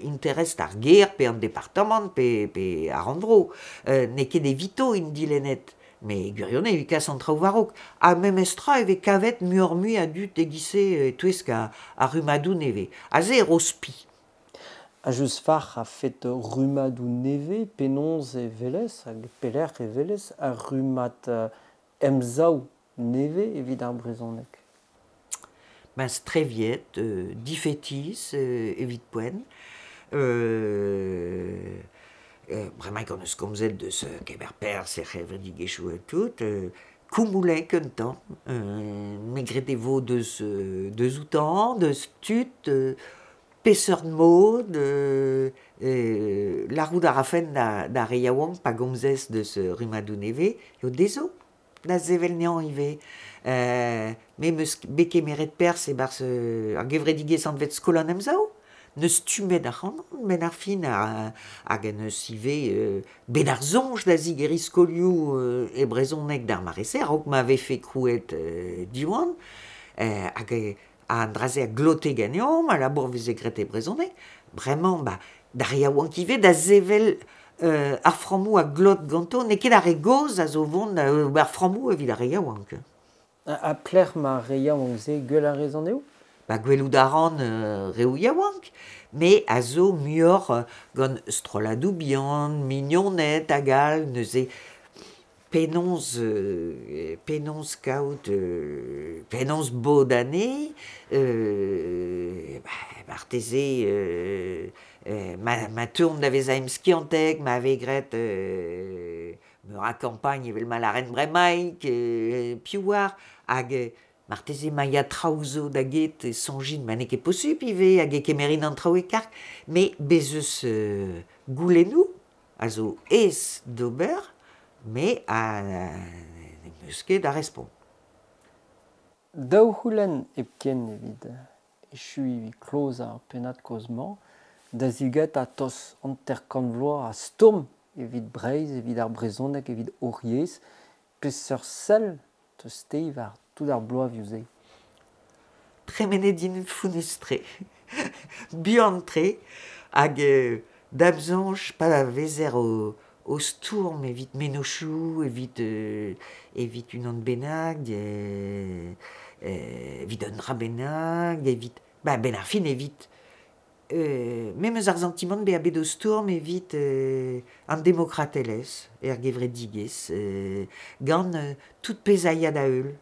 interest ar gêr pe an departamant pe ar rannvro. N'eo ket evito int dilennet, met e gwirionez evit kas an traoù war-raok. Ha memestra e vez kavet muioc'h-mui a dud e-giz-se e-touesk ar rummadoù nevez. Aze e ro spi. Ha just war a-fet rummadoù nevez, penaos e welez hag pelec'h e welez ar rummad emsav nevez evit ar brezhoneg? Ben streviet, difetis evit poent. Bremaik hon eus komzet deus kemer perzh er c'hevredigezhioù ha tout. Koumoulek un tamm. Me 'gred e vo deus outañ, deus tud. Peseurt mod, lârout a rafen d'ar re yaouank pa gomzez deus rummadoù nevez, eo dezho da sevel anezhañ ivez. Me 'm eus bet kemeret perzh e-barzh ar gevredigezh anvet Skol an Emsav, n'eus stummet ac'hanon 'benn ar fin hag en deus ivez bet ar soñj da zigeriñ skolioù e brezhoneg d'ar mare-se a-raok ma vefe krouet Diwan hag an dra-se a glote ganeomp, al labour veze graet e brezhoneg. Bremañ ba d'ar re yaouank ivez da sevel ar frammoù a glot ganto, n'eo ket ar re gozh a zo vont da ober frammoù evit ar re yaouank. Ha pelec'h ma ar re yaouank-se gwell a rez anezho? Ba gwelout a ran reoù yaouank, me a zo muioc'h gant strolladoù bihan, mignoned hag all, neuze penaos penaos kaout penaos bodañ anezhe, marteze ma teuont da vezañ emskiantek, ma vez graet meur a kampagn evel ma lâren bremaik, piv 'oar, hag marteze ma ya traoù zo da get e soñjin ma n'eo ket posupl ivez hag e kemerin an traoù e karg, met bez' eus goulennoù a zo aes d'ober met n'em eus ket da respont. Daou c'houlenn hepken evit echuiñ evit klozañ ar pennad-kaoz-mañ, da zigetañ tost 50 vloaz a stourm evit Breizh, evit ar brezhoneg, evit hor yezh. Peseurt sell 'teus-te war tout ar bloavezhioù-se? Tremenet int fonnus-tre, buan-tre, hag da'm soñj pa vezer o stourm evit mennozhioù, evit evit unan bennak, evit un dra bennak, evit ba a-benn ar fin evit me 'm eus ar santimant bezañ bet o stourm evit an demokratelezh er gevredigezh gant tout pezh a ya da heul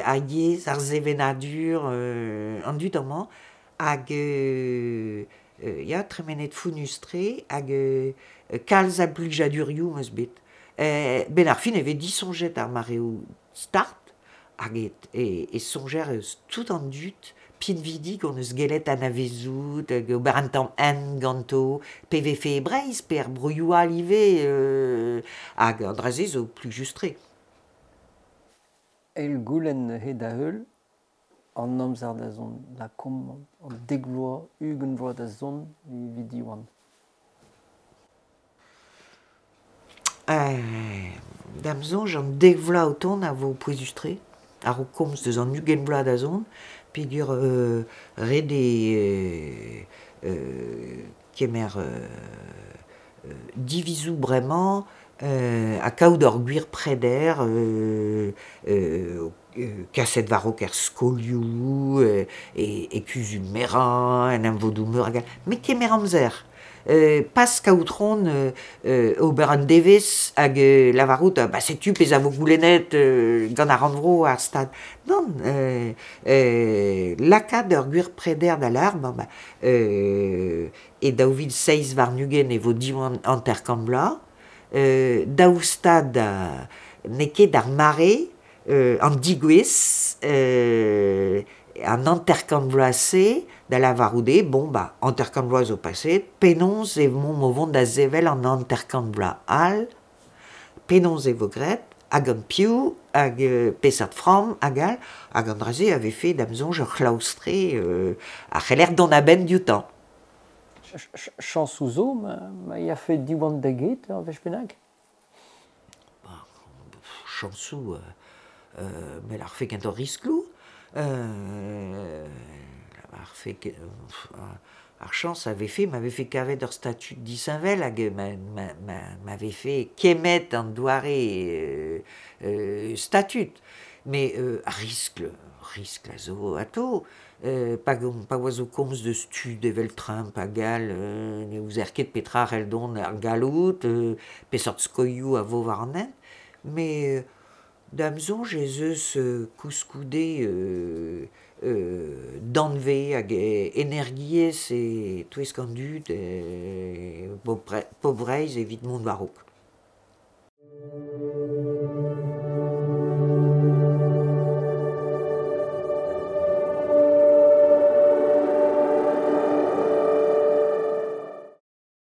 ar yezh, ar sevenadur, an dud amañ hag ya tremenet fonnus-tre hag kalz a blijadurioù 'm eus bet. 'Benn ar fin e vez disoñjet ar mareoù start hag e soñjer eus tout an dud pinvidik hon eus gellet anavezout hag ober un tamm hent ganto, pe vefe e Breizh pe er broioù all ivez hag an dra-se zo plijus-tre. Eil goulenn neuze da heul an amzer da zont, lakaomp an dek vloaz, 20 vloaz da zont evit Diwan. Da'm soñj an dek vloaz o tont a vo pouezus-tre, a-raok komz deus an 20 vloaz da zont, peogwir ret eo kemer divizoù bremañ ha kaout ur gwir preder kaset war-raok er skolioù, e kuzul-merañ, en emvodoù-meur hag all, met kemer amzer. Pas kaout c'hoant ober un devezh hag lavarout ba setu pezh a vo goulennet gant ar rannvro ar Stad. Nann, lakaat ur gwir preder da lâr, bon ba e 2027 e vo Diwan 50 vloaz, daou stad n'eo ket ar mare, an digouezh, an 50 vloaz-se da lavarout eo, bon ba 50 vloaz zo paseet, penaos emaomp o vont da sevel an 50 vloaz all, penaos e vo graet, hag gant piv, hag peseurt framm hag all, hag an dra-se a vefe da'm soñj ur c'hlaoustre a c'heller dont a-benn dioutañ. Chañsoù zo ma yafe Diwan da get ur wech bennak? Chañsoù, me lârfe kentoc'h riskloù. Ar chañs a vefe ma vefe kavet ur statud disheñvel hag ma vefe kemmet an doare statud. Met ar riskl, riskl a zo atav. Pa oa zo komz deus tud evel Trump hag all, ne ouzer ket petra c'hell dont ar galloud, peseurt skoilhoù a vo war an hent. Met da'm soñj ez eus koulskoude danvez hag energiezh e-touesk an dud e pobl Breizh evit mont war-raok.